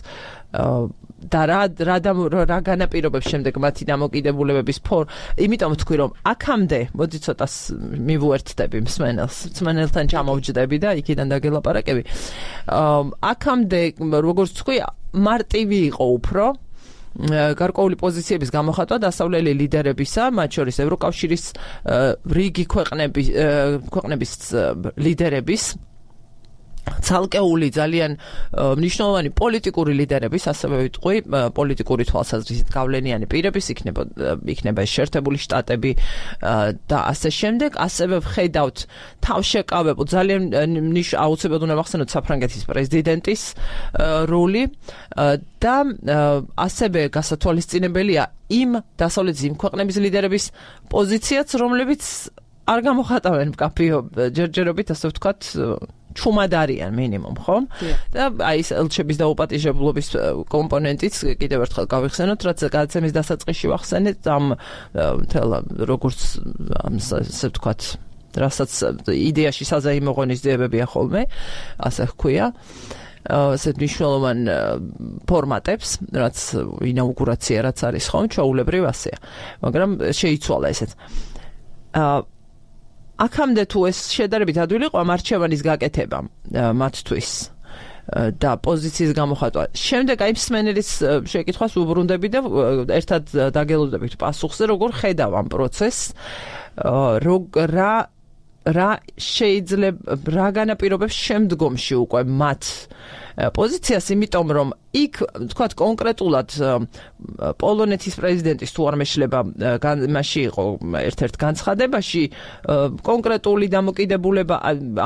და რა რა განაპირობებს შემდეგ მათი დამოკიდებულებების ფორ, იმიტომ ვთქვი რომ აქამდე მოდი ცოტა მივუერთდები მსმენელს, მსმენელთან ჩამოვჯდები და იქიდან დაგელაპარაკები. აქამდე როგორც ვთქვი, მარტივი იყო უფრო გარკვეული პოზიციების გამოხატვა დასავლელი ლიდერებისა, მათ შორის ევროკავშირის რიგი ქვეყნების ქვეყნების ლიდერების ცალკეული ძალიან მნიშვნელოვანი პოლიტიკური ლიდერების, ასევე ვიტყვი, პოლიტიკური თვალსაზრისით გავლენიანი პირების იქნება იქნება შეერთებული შტატები და ასე შემდეგ, ასევე ვხედავთ თავშეკავებულ ძალიან აუცილებლად უნდა ვახსენოთ საფრანგეთის პრეზიდენტის როლი და ასევე გასათვალისწინებელია იმ დასავლეთის იმ ქვეყნების ლიდერების პოზიციაც, რომლებიც არ გამოხატავენ მკაფიო ჯერჯერობით, ასე ვთქვათ, ჩუმად არიან მინიმუმ, ხო? და აი ეს ელჩების დაუპატიჟებლობის კომპონენტიც კიდევ ერთხელ გავიხსენოთ, რაც გადაცემის დასაწყისში ვახსენეთ, ამ თელ როგორც ასე ვთქვათ, რასაც იდეაში საზეიმო ღონისძიებებია ხოლმე, ასე ჰქვია. ასეთ მნიშვნელოვან ფორმატებს, რაც ინაუგურაცია რაც არის ხომ, ჩვეულებრივ ასეა. მაგრამ შეიცვალა ესეც. აქამდე თუ ეს შედარებით ადვილი იყო ამ არჩევანის გაკეთება მათთვის და პოზიციის გამოხატვა. შემდეგ აი მსმენელის შეკითხვას უბრუნდები და ერთად დაგელოდებით პასუხზე, როგორ ხედავ ამ პროცესს, რა რა შეიძლება რა განაპირობებს შემდგომში უკვე მათ პოზიციას, იმიტომ რომ იქ თქვათ კონკრეტულად პოლონეთის პრეზიდენტის თუ არ მეშლება მასში იყო ერთ-ერთ განცხადებაში კონკრეტული დამოკიდებულება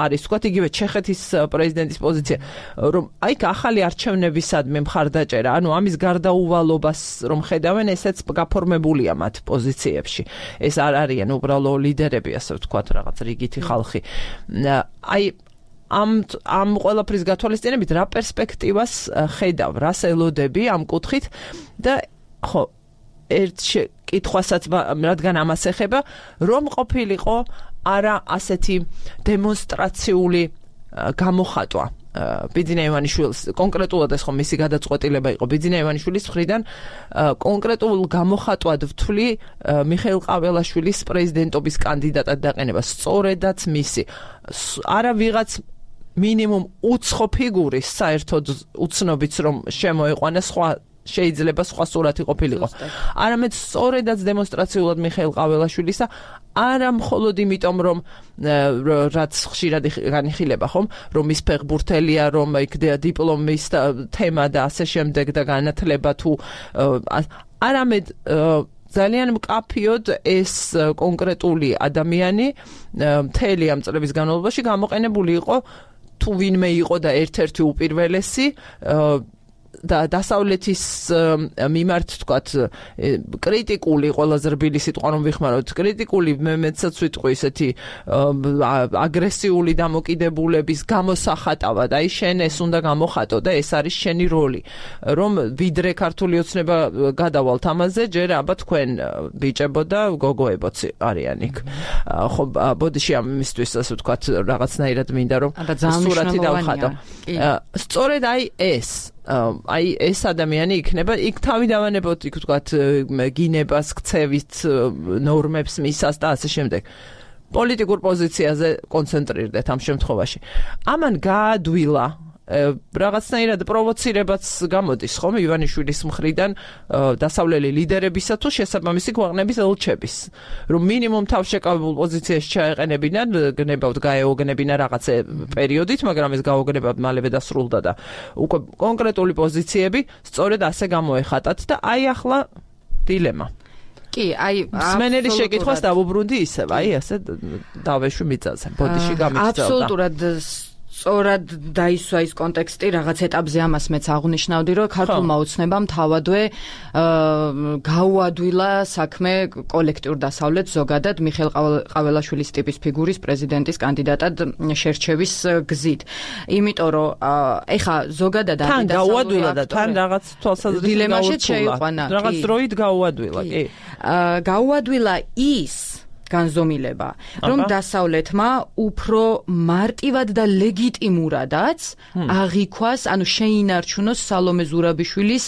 არის თქვათ იგივე ჩეხეთის პრეზიდენტის პოზიცია, რომ აი ახალი არჩევნებისადმი მხარდაჭერა, ანუ ამის გარდაუვალობას რომ ხედავენ, ესეც გაფორმებულია მათ პოზიციებში. ეს არ არიან უბრალო ლიდერები, ასე ვთქვათ, რაღაც რიგითი ხალხი. აი ამ ამ ყველაფრის გათვალისწინებით რა პერსპექტივას ხედავ, რას ელოდები ამ კუთხით და ხო ერთ კითხვასაც რადგან ამას ეხება, რომ ყოფილიყო არა ასეთი დემონსტრაციული გამოხატვა ბიძინა ივანიშვილის, კონკრეტულად ეს ხო მისი გადაწყვეტილება იყო ბიძინა ივანიშვილის მხრიდან, კონკრეტულ გამოხატვად ვთვლი მიხეილ ყაველაშვილის პრეზიდენტობის კანდიდატად დაყენება, სწორედაც მისი. არა ვიღაც მინიმუმ უცხო ფიგურის საერთოდ უცნობიც რომ შემოეყვანა სხვა შეიძლება სხვა სურათი ყოფილიყო. არამედ სწორედაც დემონსტრაციულად მიხეილ ყაველაშვილისა არა მხოლოდ იმიტომ რომ რაც ხშირად განიხილება ხომ რომ ის ფეხბურთელია რომ იქ დიპლომის თემა და ასე შემდეგ და განათლება თუ არამედ ძალიან მკაფიოდ ეს კონკრეტული ადამიანი მთელი ამ წლების განმავლობაში გამოყენებული იყო თუ ვინმე იყო და ერთ-ერთი უპირველესი და დასავლეთის მიმართ თქვათ კრიტიკული ყველაზე რბილი სიტყვა რომ ვიხმაროთ კრიტიკული მე მეცაც ვიტყვი ესეთი აგრესიული დამოკიდებულების გამოსახატავად აი შენ ეს უნდა გამოხატო და ეს არის შენი როლი რომ ვიდრე ქართული ოცნება გადავალთ ამაზე ჯერ აბა თქვენ ბიჭებო და გოგოებოც არიან იქ ხო ბოდიში ამისთვის ასე ვთქვათ რაღაცნაირად მინდა რომ სურათი დავხატო სწორედ აი ეს აი ეს ადამიანი იქნება იქ თავიდანვანებოდ იქ ვთქვათ გინებას ქცევით ნორმებს მისას და ასე შემდეგ პოლიტიკურ პოზიციაზე კონცენტრირდეთ ამ შემთხვევაში ამან გაადვილა რაღაცნაირად პროვოცირებაც გამოდის ხომ ივანიშვილის მხრიდან დასავლელი ლიდერებისა თუ შესაბამისი ქვეყნების ელჩების რომ მინიმუმ თავშეკავებულ პოზიციაში ჩაეყენებინან გნებავთ გაეოგნებინა რაღაც პერიოდით მაგრამ ეს გაოგნება მალევე დასრულდა და უკვე კონკრეტული პოზიციები სწორედ ასე გამოეხატათ და აი ახლა დილემა კი აი მსმენელი შეკითხვას დავუბრუნდი ისევ აი ასე დავეშვი მიწაზე ბოდიში გამიგზავნა აბსოლუტურად სწორად დაისვა ის კონტექსტი რაღაც ეტაპზე ამას მეც აღნიშნავდი რომ ქართულმა ოცნებამ თავადვე გაუადვილა საქმე კოლექტიურ დასავლეთს ზოგადად მიხეილ ყაველაშვილის ტიპის ფიგურის პრეზიდენტის კანდიდატად შერჩევის გზით იმიტომ რომ ეხა ზოგადად თან გაუადვილა და თან რაღაც თვალსაზრისით დილემაში შეიყვანა რაღაც დროით გაუადვილა კი გაუადვილა ის განზომილება, რომ დასავლეთმა უფრო მარტივად და ლეგიტიმურადაც აღიქვას, ანუ შეინარჩუნოს სალომე ზურაბიშვილის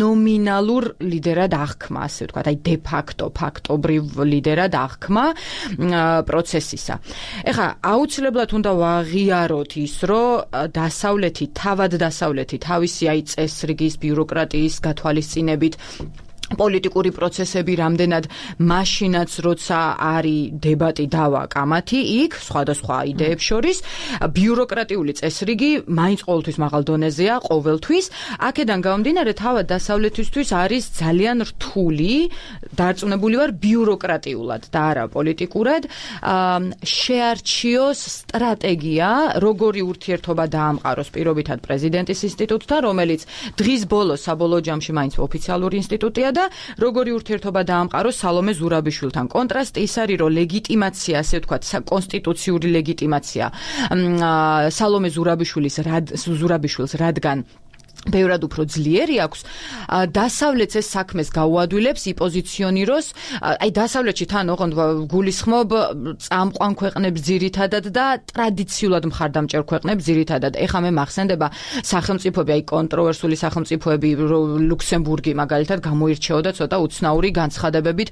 ნომინალურ ლიდერად აღქმა, ასე ვთქვათ, აი დე ფაქტო, ფაქტობრივ ლიდერად აღქმა პროცესისა. ეხლა აუცილებლად უნდა ვაღიაროთ ის, რომ დასავლეთი, თავად დასავლეთი თავისი აი წესრიგის, ბიუროკრატიის გათვალისწინებით პოლიტიკური პროცესები რამდენად მაშინაც როცა არის დებატი დავა კამათი იქ სხვადასხვა იდეებს შორის ბიუროკრატიული წესრიგი მაინც ყოველთვის მაღალ დონეზეა ყოველთვის აქედან გამომდინარე თავად დასავლეთისთვის არის ძალიან რთული დარწმუნებული ვარ ბიუროკრატიულად და არა პოლიტიკურად შეარჩიოს სტრატეგია როგორი ურთიერთობა დაამყაროს პირობითად პრეზიდენტის ინსტიტუტთან რომელიც დღის ბოლოს საბოლოო ჯამში მაინც ოფიციალური ინსტიტუტია და როგორი ურთიერთობა დაამყაროს სალომე ზურაბიშვილთან. კონტრასტი ის არის, რომ ლეგიტიმაცია, ასე ვთქვათ, კონსტიტუციური ლეგიტიმაცია სალომე ზურაბიშვილის ზურაბიშვილს რადგან ბევრად უფრო ძლიერი აქვს დასავლეთს ეს საქმეს გაუადვილებს იპოზიციონიროს აი დასავლეთში თან ოღონდ გულისხმობ წამყვან ქვეყნებს ძირითადად და ტრადიციულად მხარდამჭერ ქვეყნებს ძირითადად ეხლა მე მახსენდება სახელმწიფოები აი კონტროვერსული სახელმწიფოები ლუქსემბურგი მაგალითად გამოირჩეოდა ცოტა უცნაური განცხადებებით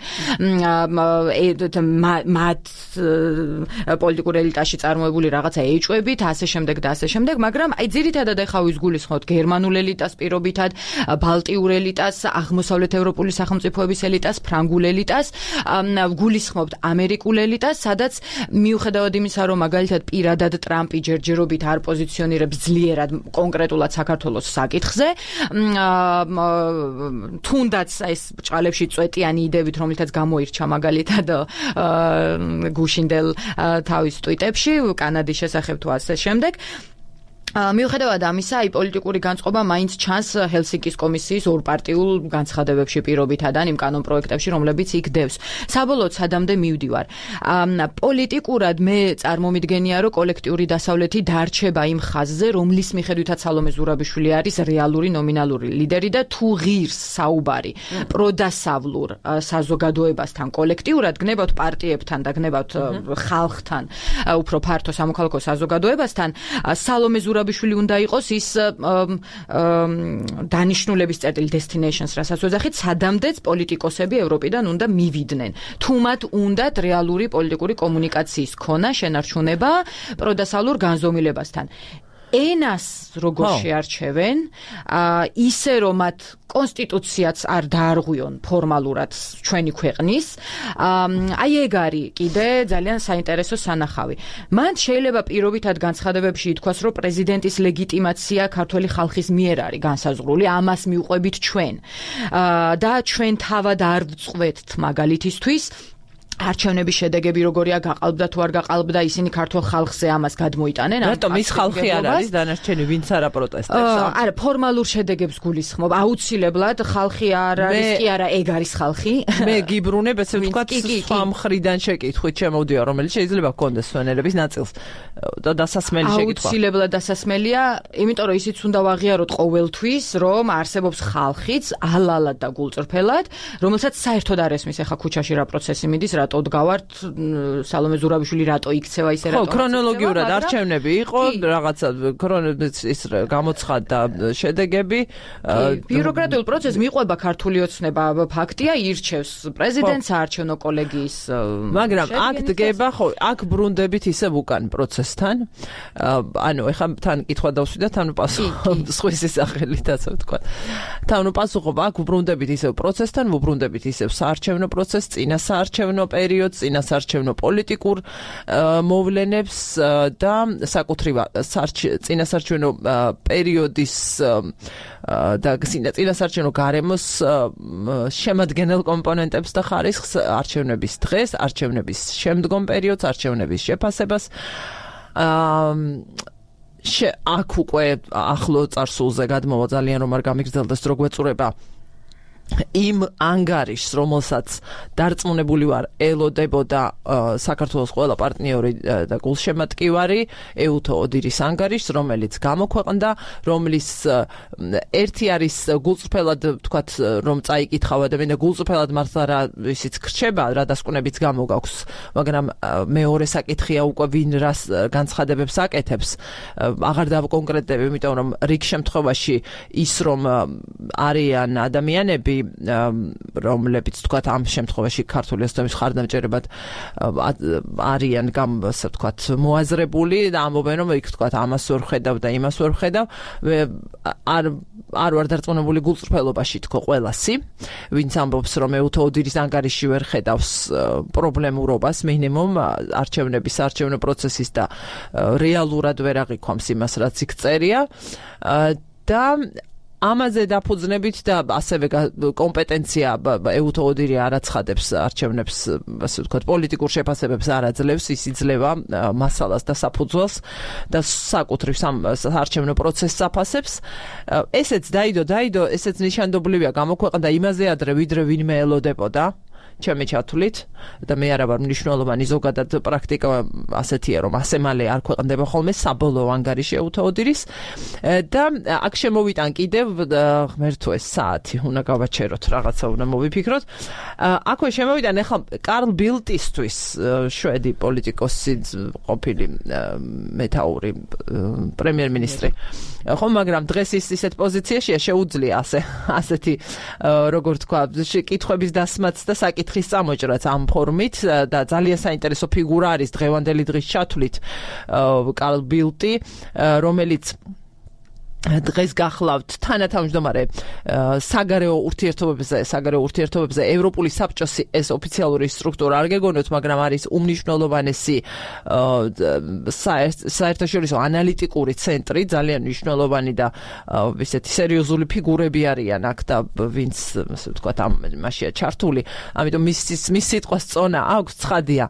მათ პოლიტიკურ ელიტაში წარმოებული რაღაცა ეჭვებით ასე შემდეგ და ასე შემდეგ მაგრამ აი ძირითადად ეხლა ვის გულისხმობთ გერმანულ ელიტას პირობითად, ბალტიურ ელიტას, აღმოსავლეთ ევროპული სახელმწიფოების ელიტას, ფრანგულ ელიტას, გულისხმობთ ამერიკულ ელიტას, სადაც მიუხედავად იმისა, რომ მაგალითად პირადად ტრამპი ჯერჯერობით არ პოზიციონირებს ძლიერად კონკრეტულად საქართველოს საკითხზე, თუნდაც ეს ბრჭყალებში წვეტიანი იდეებით, რომლითაც გამოირჩა მაგალითად გუშინდელ თავის ტვიტებში, კანადის შესახებ თუ ასე შემდეგ. მიუხედავად ამისა, აი პოლიტიკური განწყობა მაინც ჩანს ჰელსინკის კომისიის ორპარტიულ განცხადებებში პირობითად ან იმ კანონ პროექტებში, რომლებიც იქ დევს. საბოლოოდ სადამდე მივდივარ. პოლიტიკურად მე წარმომიდგენია, რომ კოლექტიური დასავლეთი დარჩება იმ ხაზზე, რომლის მიხედვითაც სალომე ზურაბიშვილი არის რეალური ნომინალური ლიდერი და თუ ღირს საუბარი პროდასავლურ საზოგადოებასთან კოლექტიურად გნებავთ პარტიებთან და გნებავთ ხალხთან, უფრო ფართო სამოქალაქო საზოგადოებასთან, სალომე ზურაბიშვილი ბიშვილი უნდა იყოს ის დანიშნულების წერტილი destinations რასაც ვეძახით სადამდეც პოლიტიკოსები ევროპიდან უნდა მივიდნენ თუ მათ უნდათ რეალური პოლიტიკური კომუნიკაციის ქონა შენარჩუნება პროდასავლურ განზომილებასთან ენას როგორ შეარჩევენ, ისე რომ მათ კონსტიტუციაც არ დაარღვიონ ფორმალურად ჩვენი ქვეყნის, აი ეგ არის კიდე ძალიან საინტერესო სანახავი. მან შეიძლება პირობითად განცხადებებში ითქვას, რომ პრეზიდენტის ლეგიტიმაცია ქართველი ხალხის მიერ არის განსაზღვრული, ამას მიუყვებით ჩვენ. და ჩვენ თავად არ ვწყვეტთ მაგალითისთვის არჩევნების შედეგები როგორია გაყალბდა თუ არ გაყალბდა, ისინი ქართულ ხალხზე ამას გადმოიტანენ. რატომ ის ხალხი არ არის დანარჩენი, ვინც არა პროტესტებს? არა, ფორმალურ შედეგებს გულისხმობ. აუცილებლად ხალხი არ არის, კი არა, ეგ არის ხალხი. მე გიბრუნებ, ესე ვთქვათ, სხვა მხრიდან შეკითხვით შემოვდია, რომელიც შეიძლება გქონდეს სვენელების ნაწილს და დასასმელი შეკითხვა. აუცილებლად დასასმელია, იმიტომ რომ ისიც უნდა ვაღიაროთ ყოველთვის, რომ არსებობს ხალხიც ალალად და გულწრფელად, რომელსაც საერთოდ არ ესმის ახლა ქუჩაში რა პროცესი მიდის, რატო დგავართ, სალომე ზურაბიშვილი რატო იქცევა ისე რატო. ხო, ქრონოლოგიურად არჩევნები იყო, რაღაცა ის გამოცხადდა შედეგები. ბიუროკრატიულ პროცესს მიყვება ქართული ოცნება, ფაქტია, ირჩევს პრეზიდენტს საარჩევნო კოლეგიის. მაგრამ აქ დგება, ხო, აქ ბრუნდებით ისევ უკან პროცესთან. ანუ ეხლა თან კითხვა დავსვიდა, თან პასუხობ სხვისი სახელით, ასე ვთქვა. თან პასუხობ აქ ბრუნდებით ისევ პროცესთან, ვუბრუნდებით ისევ საარჩევნო პროცესს, წინა საარჩევნო პერიოდს, წინასაარჩევნო პოლიტიკურ მოვლენებს და საკუთრივ წინასაარჩევნო პერიოდის და წინასაარჩევნო გარემოს შემადგენელ კომპონენტებს და ხარისხს, არჩევნების დღეს, არჩევნების შემდგომ პერიოდს, არჩევნების შეფასებას. აქ უკვე ახლო წარსულზე გადმოვა ძალიან რომ არ გამიგრძელდეს რო გვეწურება იმ ანგარიშს, რომელსაც დარწმუნებული ვარ ელოდებოდა საქართველოს ყველა პარტნიორი და გულშემატკივარი, ეუთო ოდირის ანგარიშს, რომელიც გამოქვეყნდა, რომლის ერთი არის გულწრფელად ვთქვათ, რომ წაიკითხავ ადამიანი და გულწრფელად მართლა რა ისიც გრჩება, რა დასკვნებიც გამოგაქვს, მაგრამ მეორე საკითხია უკვე ვინ რას განცხადებებს აკეთებს, აღარ დავკონკრეტებ, იმიტომ რომ რიგ შემთხვევაში ის რომ არიან ადამიანები რომლებიც თქვათ ამ შემთხვევაში ქართული ოცნების მხარდამჭერებად არიან გამ ასე ვთქვათ მოაზრებული და ამბობენ რომ იქ თქვათ ამას ვერ ხედავ და იმას ვერ ხედავ არ არ ვარ დარწმუნებული გულწრფელობაში თქო ყველასი ვინც ამბობს რომ ეუთო ოდირის ანგარიში ვერ ხედავს პრობლემურობას მინიმუმ არჩევნების არჩევნო პროცესის და რეალურად ვერ აღიქვამს იმას რაც იქ წერია და ამაზე დაფუძნებით და ასევე კომპეტენცია ეუთო ოდირი არ აცხადებს არჩევნებს, ასე ვთქვათ, პოლიტიკურ შეფასებებს არ აძლევს, ის იძლევა მასალას და საფუძველს და საკუთრივ საარჩევნო პროცესს აფასებს. ესეც დაიდო, დაიდო, ესეც ნიშანდობლივია გამოქვეყნდა იმაზე ადრე, ვიდრე ვინმე ელოდებოდა. ჩემი ჩათვლით და მე არა ვარ მნიშვნელოვანი ზოგადად პრაქტიკა ასეთია რომ ასე მალე არ ქვეყნდება ხოლმე საბოლოო ანგარიში ეუთო ოდირის და აქ შემოვიტან კიდევ ღმერთო ეს საათი უნდა გავაჩეროთ რაღაცა უნდა მოვიფიქროთ აქვე შემოვიტან ახლა კარლ ბილტისთვის შვედი პოლიტიკოსი ყოფილი მეთაური პრემიერ-მინისტრი ხო მაგრამ დღეს ის ისეთ პოზიციაშია შეუძლია ასე ასეთი როგორ თქვა კითხვების დასმაც და საკითხ ხის წამოჭრაც ამ ფორმით და ძალიან საინტერესო ფიგურა არის დღევანდელი დღის ჩათვლით კარლ ბილტი რომელიც დღეს გახლავთ თანათავმჯდომარე საგარეო ურთიერთობებზე საგარეო ურთიერთობებზე ევროპული საბჭოს ეს ოფიციალური სტრუქტურა არ გეგონოთ მაგრამ არის უმნიშვნელოვანესი საერთაშორისო ანალიტიკური ცენტრი ძალიან მნიშვნელოვანი და ისეთი სერიოზული ფიგურები არიან აქ და ვინც ასე ვთქვათ ამ მასშია ჩართული ამიტომ მის მის სიტყვას წონა აქვს ცხადია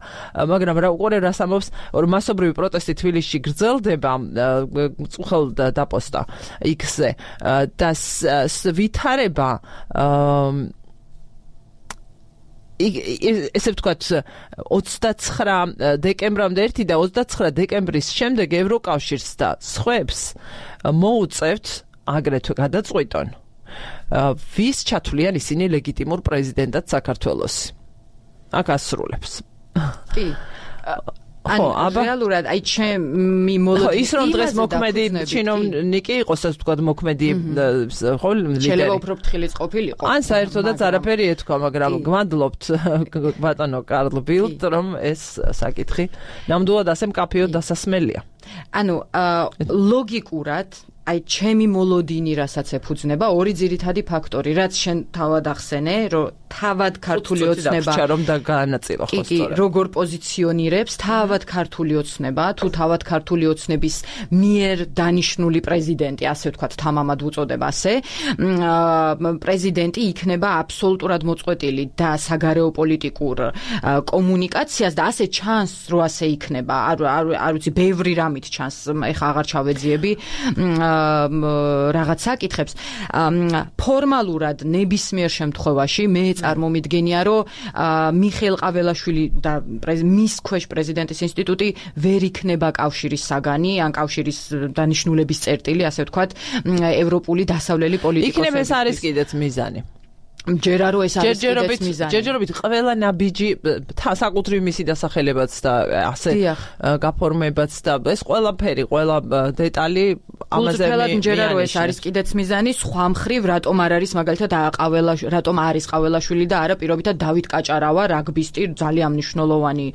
მაგრამ რა უყურე რას ამბობს რომ მასობრივი პროტესტი თბილისში გრძელდება წუხელ დაპოსტა X-ზე და ვითარება ესე ვთქვათ ოცდაცხრა დეკემბრამდე ერთი და ოცდაცხრა დეკემბრის შემდეგ ევროკავშირს და სხვებს მოუწევთ აგრეთვე გადაწყვიტონ ვის ჩათვლიან ისინი ლეგიტიმურ პრეზიდენტად საქართველოს აქ ასრულებს კი ხო, აბა რეალურად აი ჩემი მოლოდინი ის რომ დღეს მოქმედი ჩინოვნიკი იყოს, ასე ვთქვათ, მოქმედი ხო ლიდერი. შეიძლება უფრო ფრთხილიც ყოფილიყო. ან საერთოდაც არაფერი ეთქვა, მაგრამ გვადლობთ ბატონო კარლ ბილდ, რომ ეს საკითხი ნამდვილად ასე მკაფიოდ დასასმელია. ანუ ლოგიკურად აი ჩემი მოლოდინი რასაც ეფუძნება ორი ძირითადი ფაქტორი, რაც შენ თავად ახსენე, რომ თავად ქართული ოცნება რომ და გაანაწილო ხო სწორად. როგორ პოზიციონირებს თავად ქართული ოცნება, თუ თავად ქართული ოცნების მიერ დანიშნული პრეზიდენტი, ასე ვთქვათ, თამამად უწოდება ასე, პრეზიდენტი იქნება აბსოლუტურად მოწყვეტილი და საგარეო პოლიტიკურ კომუნიკაციას და ასე ჩანს, რომ ასე იქნება. არ არ ვიცი, ბევრი რამით ჩანს, ეხა აღარ ჩავეძიები რაღაც საკითხებს. ფორმალურად ნებისმიერ შემთხვევაში მე წარმომიდგენია, რომ მიხეილ ყაველაშვილი და მის ქვეშ პრეზიდენტის ინსტიტუტი ვერ იქნება კავშირის საგანი, ან კავშირის დანიშნულების წერტილი, ასე ვთქვათ, ევროპული დასავლელი პოლიტიკოსების. იქნება ეს არის კიდეც მიზანი. ჯერა რომ ეს არის კიდეც მიზანი. ჯერჯერობით ყველა ნაბიჯი საკუთრივ მისი დასახელებაც და ასე გაფორმებაც და ეს ყველაფერი, ყველა დეტალი ამაზე მე ჯერა რომ ეს არის კიდეც მიზანი, სხვა მხრივ რატომ არ არის მაგალითად ყაველა რატომ არის ყაველაშვილი და არა პირობითად დავით კაჭარავა, რაგბისტი, ძალიან მნიშვნელოვანი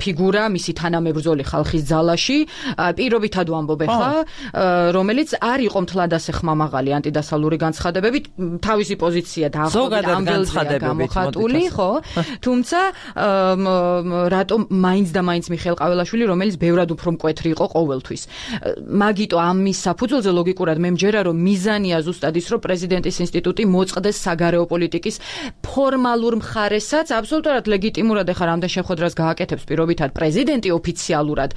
ფიგურა მისი თანამებრძოლი ხალხის ძალაში, პირობითად ვამბობ ახლა, რომელიც არ იყო მთლად ასე ხმამაღალი ანტიდასავლური განცხადებებით, თავისი პოზიცია და ზოგადად განცხადებებით მოხატული, ხო? თუმცა რატომ მაინც და მაინც მიხეილ ყაველაშვილი, რომელიც ბევრად უფრო მკვეთრი იყო ყოველთვის. მაგიტო ამის საფუძველზე ლოგიკურად მე მჯერა, რომ მიზანია ზუსტად ის, რომ პრეზიდენტის ინსტიტუტი მოწყდეს საგარეო პოლიტიკის ფორმალურ მხარესაც, აბსოლუტურად ლეგიტიმურად ეხა რამდენ შეხვედრას გააკეთებს პირობითად პრეზიდენტი ოფიციალურად.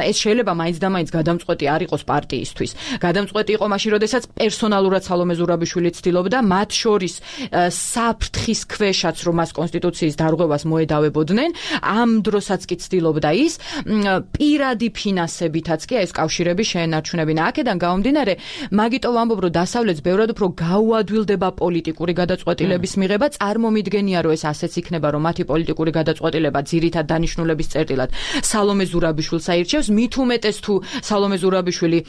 ეს შეიძლება მაინც და მაინც გადამწყვეტი არ იყოს პარტიისთვის. გადამწყვეტი იყო მაშინ, როდესაც პერსონალურად სალომე ზურაბიშვილი ცდილობდა მათ შორის საფრთხის ქვეშაც რომ მას კონსტიტუციის დარღვევას მოედავებოდნენ, ამ დროსაც კი ცდილობდა ის პირადი ფინანსებითაც კი ეს კავშირები შეენარჩუნებინა. აქედან გამომდინარე, მაგიტო ვამბობ, რომ დასავლეთს ბევრად უფრო გაუადვილდება პოლიტიკური გადაწყვეტილების მიღება, წარმომიდგენია, რომ ეს ასეც იქნება, რომ მათი პოლიტიკური გადაწყვეტილება ძირითად დანიშნულების წერტილად სალომე ზურაბიშვილს აირჩევს, მით უმეტეს თუ სალომე ზურაბიშვილი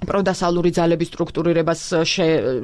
პროდასავლური ძალების სტრუქტურირებას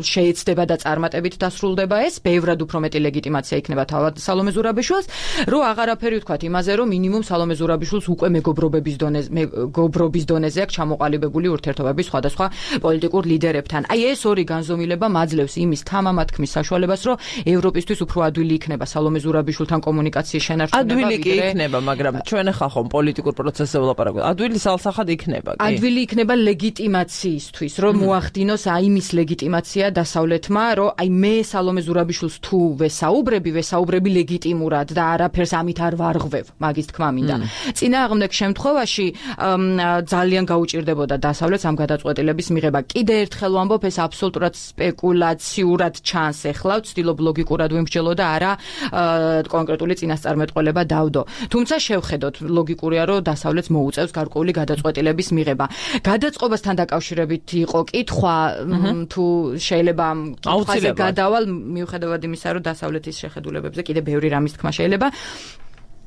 შეეცდება და წარმატებით დასრულდება ეს, ბევრად უფრო მეტი ლეგიტიმაცია იქნება თავად სალომე ზურაბიშვილს, რომ აღარაფერი ვთქვათ იმაზე, რომ მინიმუმ სალომე ზურაბიშვილს უკვე მეგობრობის დონეზე, მეგობრობის დონეზე აქვს ჩამოყალიბებული ურთიერთობები სხვადასხვა პოლიტიკურ ლიდერებთან. აი ეს ორი განზომილება მაძლევს იმის თამამად ქმნის საშუალებას, რომ ევროპისთვის უფრო ადვილი იქნება სალომე ზურაბიშვილთან კომუნიკაციის შენარჩუნება. ადვილი კი იქნება, მაგრამ ჩვენ ახლა ხომ პოლიტიკურ პროცესზე ვლაპარაკობთ. ადვილი სალსახად იქნება, კი. ადვილი იქნება ლეგიტიმაცია ისთვის, რომ მოახდინოს აი მის ლეგიტიმაცია დასავლეთმა, რომ აი მე სალომე ზურაბიშვილს თუ ვესაუბრები, ვესაუბრები ლეგიტიმურად და არაფერს ამით არ ვარღვევ, მაგის თქმა მინდა. წინააღმდეგ შემთხვევაში ძალიან გაუჭირდებოდა დასავლეთს ამ გადაწყვეტილების მიღება. კიდე ერთხელ ვამბობ, ეს აბსოლუტურად სპეკულაციურად ჩანს ეხლა, ვცდილობ ლოგიკურად ვიმსჯელო და არა კონკრეტული წინასწარმეტყველება დავდო. თუმცა შევხედოთ, ლოგიკურია, რომ დასავლეთს მოუწევს გარკვეული გადაწყვეტილების მიღება. გადაწყობასთან დაკავშირებით იყო კითხვა, თუ შეიძლება კითხვაზე გადავალ, მიუხედავად იმისა, რომ დასავლეთის შეხედულებებზე კიდე ბევრი რამის თქმა შეიძლება.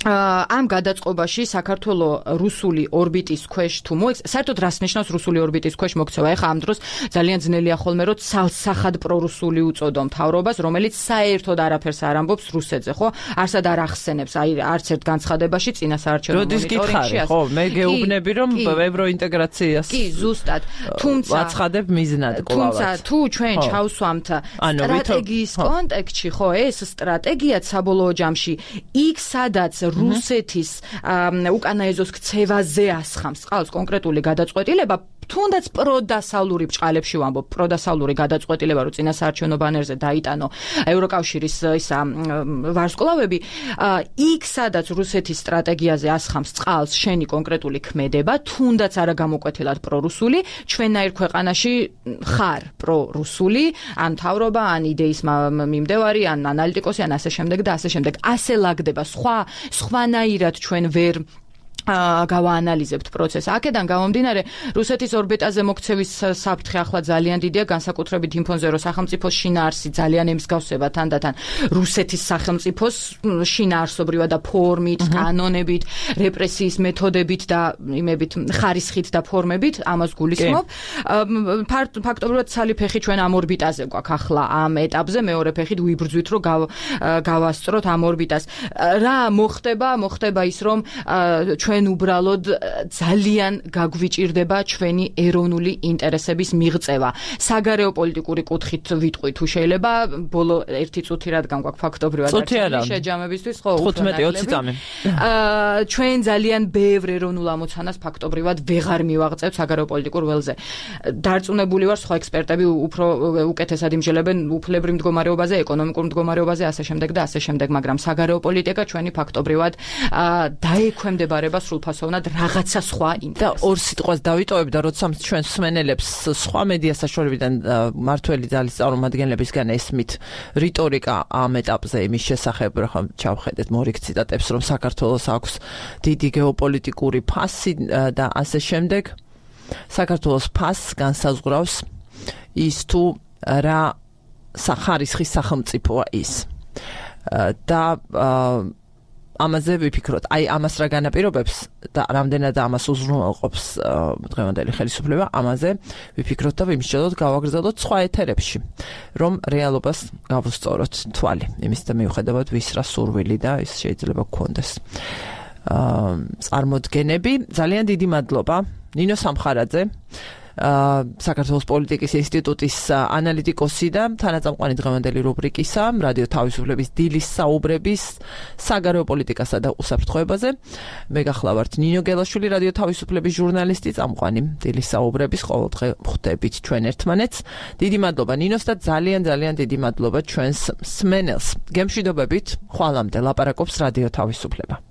ამ გადაწყობაში საქართველოს რუსული ორბიტის ქვეშ თუ მოიქცევა, საერთოდ რას ნიშნავს რუსული ორბიტის ქვეშ მოქცევა? ეხლა ამ დროს ძალიან ძნელია ხოლმე, რომ ცალსახად პრორუსული უწოდო მთავრობას, რომელიც საერთოდ არაფერს არ ამბობს რუსეთზე, ხო? არსად არ ახსენებს, აი არც ერთ განცხადებაში წინასაარჩევნო მონიტორინგში. ხო, მე გეუბნები, რომ ევროინტეგრაციას კი, ზუსტად. თუმცა ვაცხადებ მიზნად კლავად. თუმცა თუ ჩვენ ჩავსვამთ სტრატეგიის კონტექსტში, ხო, ეს სტრატეგიაც საბოლოო ჯამში იქ სადაც რუსეთის უკანა ეზოს ქცევაზე ასხამს. ყავს კონკრეტული გადაწყვეტილება, თუნდაც პროდასავლური ბჭყალებში ვამბობ, პროდასავლური გადაწყვეტილება, რომ წინასაარჩევნო ბანერზე დაიტანო ევროკავშირის ისა ვარსკვლავები, იქ სადაც რუსეთის სტრატეგიაზე ასხამს წყალს შენი კონკრეტული ქმედება, თუნდაც არა გამოკვეთილად პრორუსული, ჩვენნაირ ქვეყანაში ხარ პრორუსული, ან მთავრობა, ან იდეის მიმდევარი, ან ანალიტიკოსი, ან ასე შემდეგ და ასე შემდეგ. ასე ლაგდება სხვა სხვანაირად ჩვენ ვერ გავაანალიზებთ პროცესს. აქედან გამომდინარე, რუსეთის ორბიტაზე მოქცევის საფრთხე ახლა ძალიან დიდია, განსაკუთრებით იმ ფონზე, რომ სახელმწიფოს შინაარსი ძალიან ემსგავსება თანდათან რუსეთის სახელმწიფოს შინაარსობრივად და ფორმით, კანონებით, რეპრესიის მეთოდებით და იმებით, ხარისხით და ფორმებით, ამას გულისხმობ. ფაქტობრივად ცალი ფეხი ჩვენ ამ ორბიტაზე გვაქვს ახლა ამ ეტაპზე, მეორე ფეხით ვიბრძვით, რომ გავასწროთ ამ ორბიტას. რა მოხდება? მოხდება ის, რომ ჩვენ უბრალოდ ძალიან გაგვიჭირდება ჩვენი ეროვნული ინტერესების მიღწევა. საგარეო პოლიტიკური კუთხით ვიტყვი თუ შეიძლება ბოლო ერთი წუთი რადგან გვაქვს ფაქტობრივად შეჯამებისთვის, ხო, თხუთმეტი ოცი წამი. ჩვენ ძალიან ბევრ ეროვნულ ამოცანას ფაქტობრივად ვეღარ მივაღწევთ საგარეო პოლიტიკურ ველზე. დარწმუნებული ვარ, სხვა ექსპერტები უფრო უკეთესად იმჯელებენ უფლებრივ მდგომარეობაზე, ეკონომიკურ მდგომარეობაზე, ასე შემდეგ და ასე შემდეგ, მაგრამ საგარეო პოლიტიკა ჩვენი ფაქტობრივად დაექვემდებარება სრულფასოვნად რაღაცა სხვა ინტერესს. და ორ სიტყვას დავიტოვებ და როცა ჩვენ მსმენელებს სხვა მედია საშუალებიდან მართველი ძალის წარმომადგენლებისგან ესმით რიტორიკა ამ ეტაპზე იმის შესახებ, რომ ჩავხედეთ მორიგ ციტატებს, რომ საქართველოს აქვს დიდი გეოპოლიტიკური ფასი და ასე შემდეგ. საქართველოს ფასს განსაზღვრავს ის თუ რა სახარისხის სახელმწიფოა ის. და ამაზე ვიფიქროთ, აი ამას რა განაპირობებს და რამდენად ამას უზრუნველყოფს დღევანდელი ხელისუფლება, ამაზე ვიფიქროთ და ვიმსჯელოთ, გავაგრძელოთ სხვა ეთერებში, რომ რეალობას გავუსწოროთ თვალი. იმის და მიუხედავად ვის რა სურვილი და ის შეიძლება გქონდეს. წარმოდგენები, ძალიან დიდი მადლობა ნინო სამხარაძე, საქართველოს პოლიტიკის ინსტიტუტის ანალიტიკოსი და თანაწამყვანი დღევანდელი რუბრიკისა რადიო თავისუფლების დილის საუბრების საგარეო პოლიტიკასა და უსაფრთხოებაზე. მე გახლავართ ნინო გელაშვილი, რადიო თავისუფლების ჟურნალისტი, წამყვანი დილის საუბრების ყოველდღე ხვდებით ჩვენ ერთმანეთს. დიდი მადლობა ნინოს და ძალიან ძალიან დიდი მადლობა ჩვენს მსმენელს. გემშვიდობებით, ხვალამდე ლაპარაკობს რადიო თავისუფლება.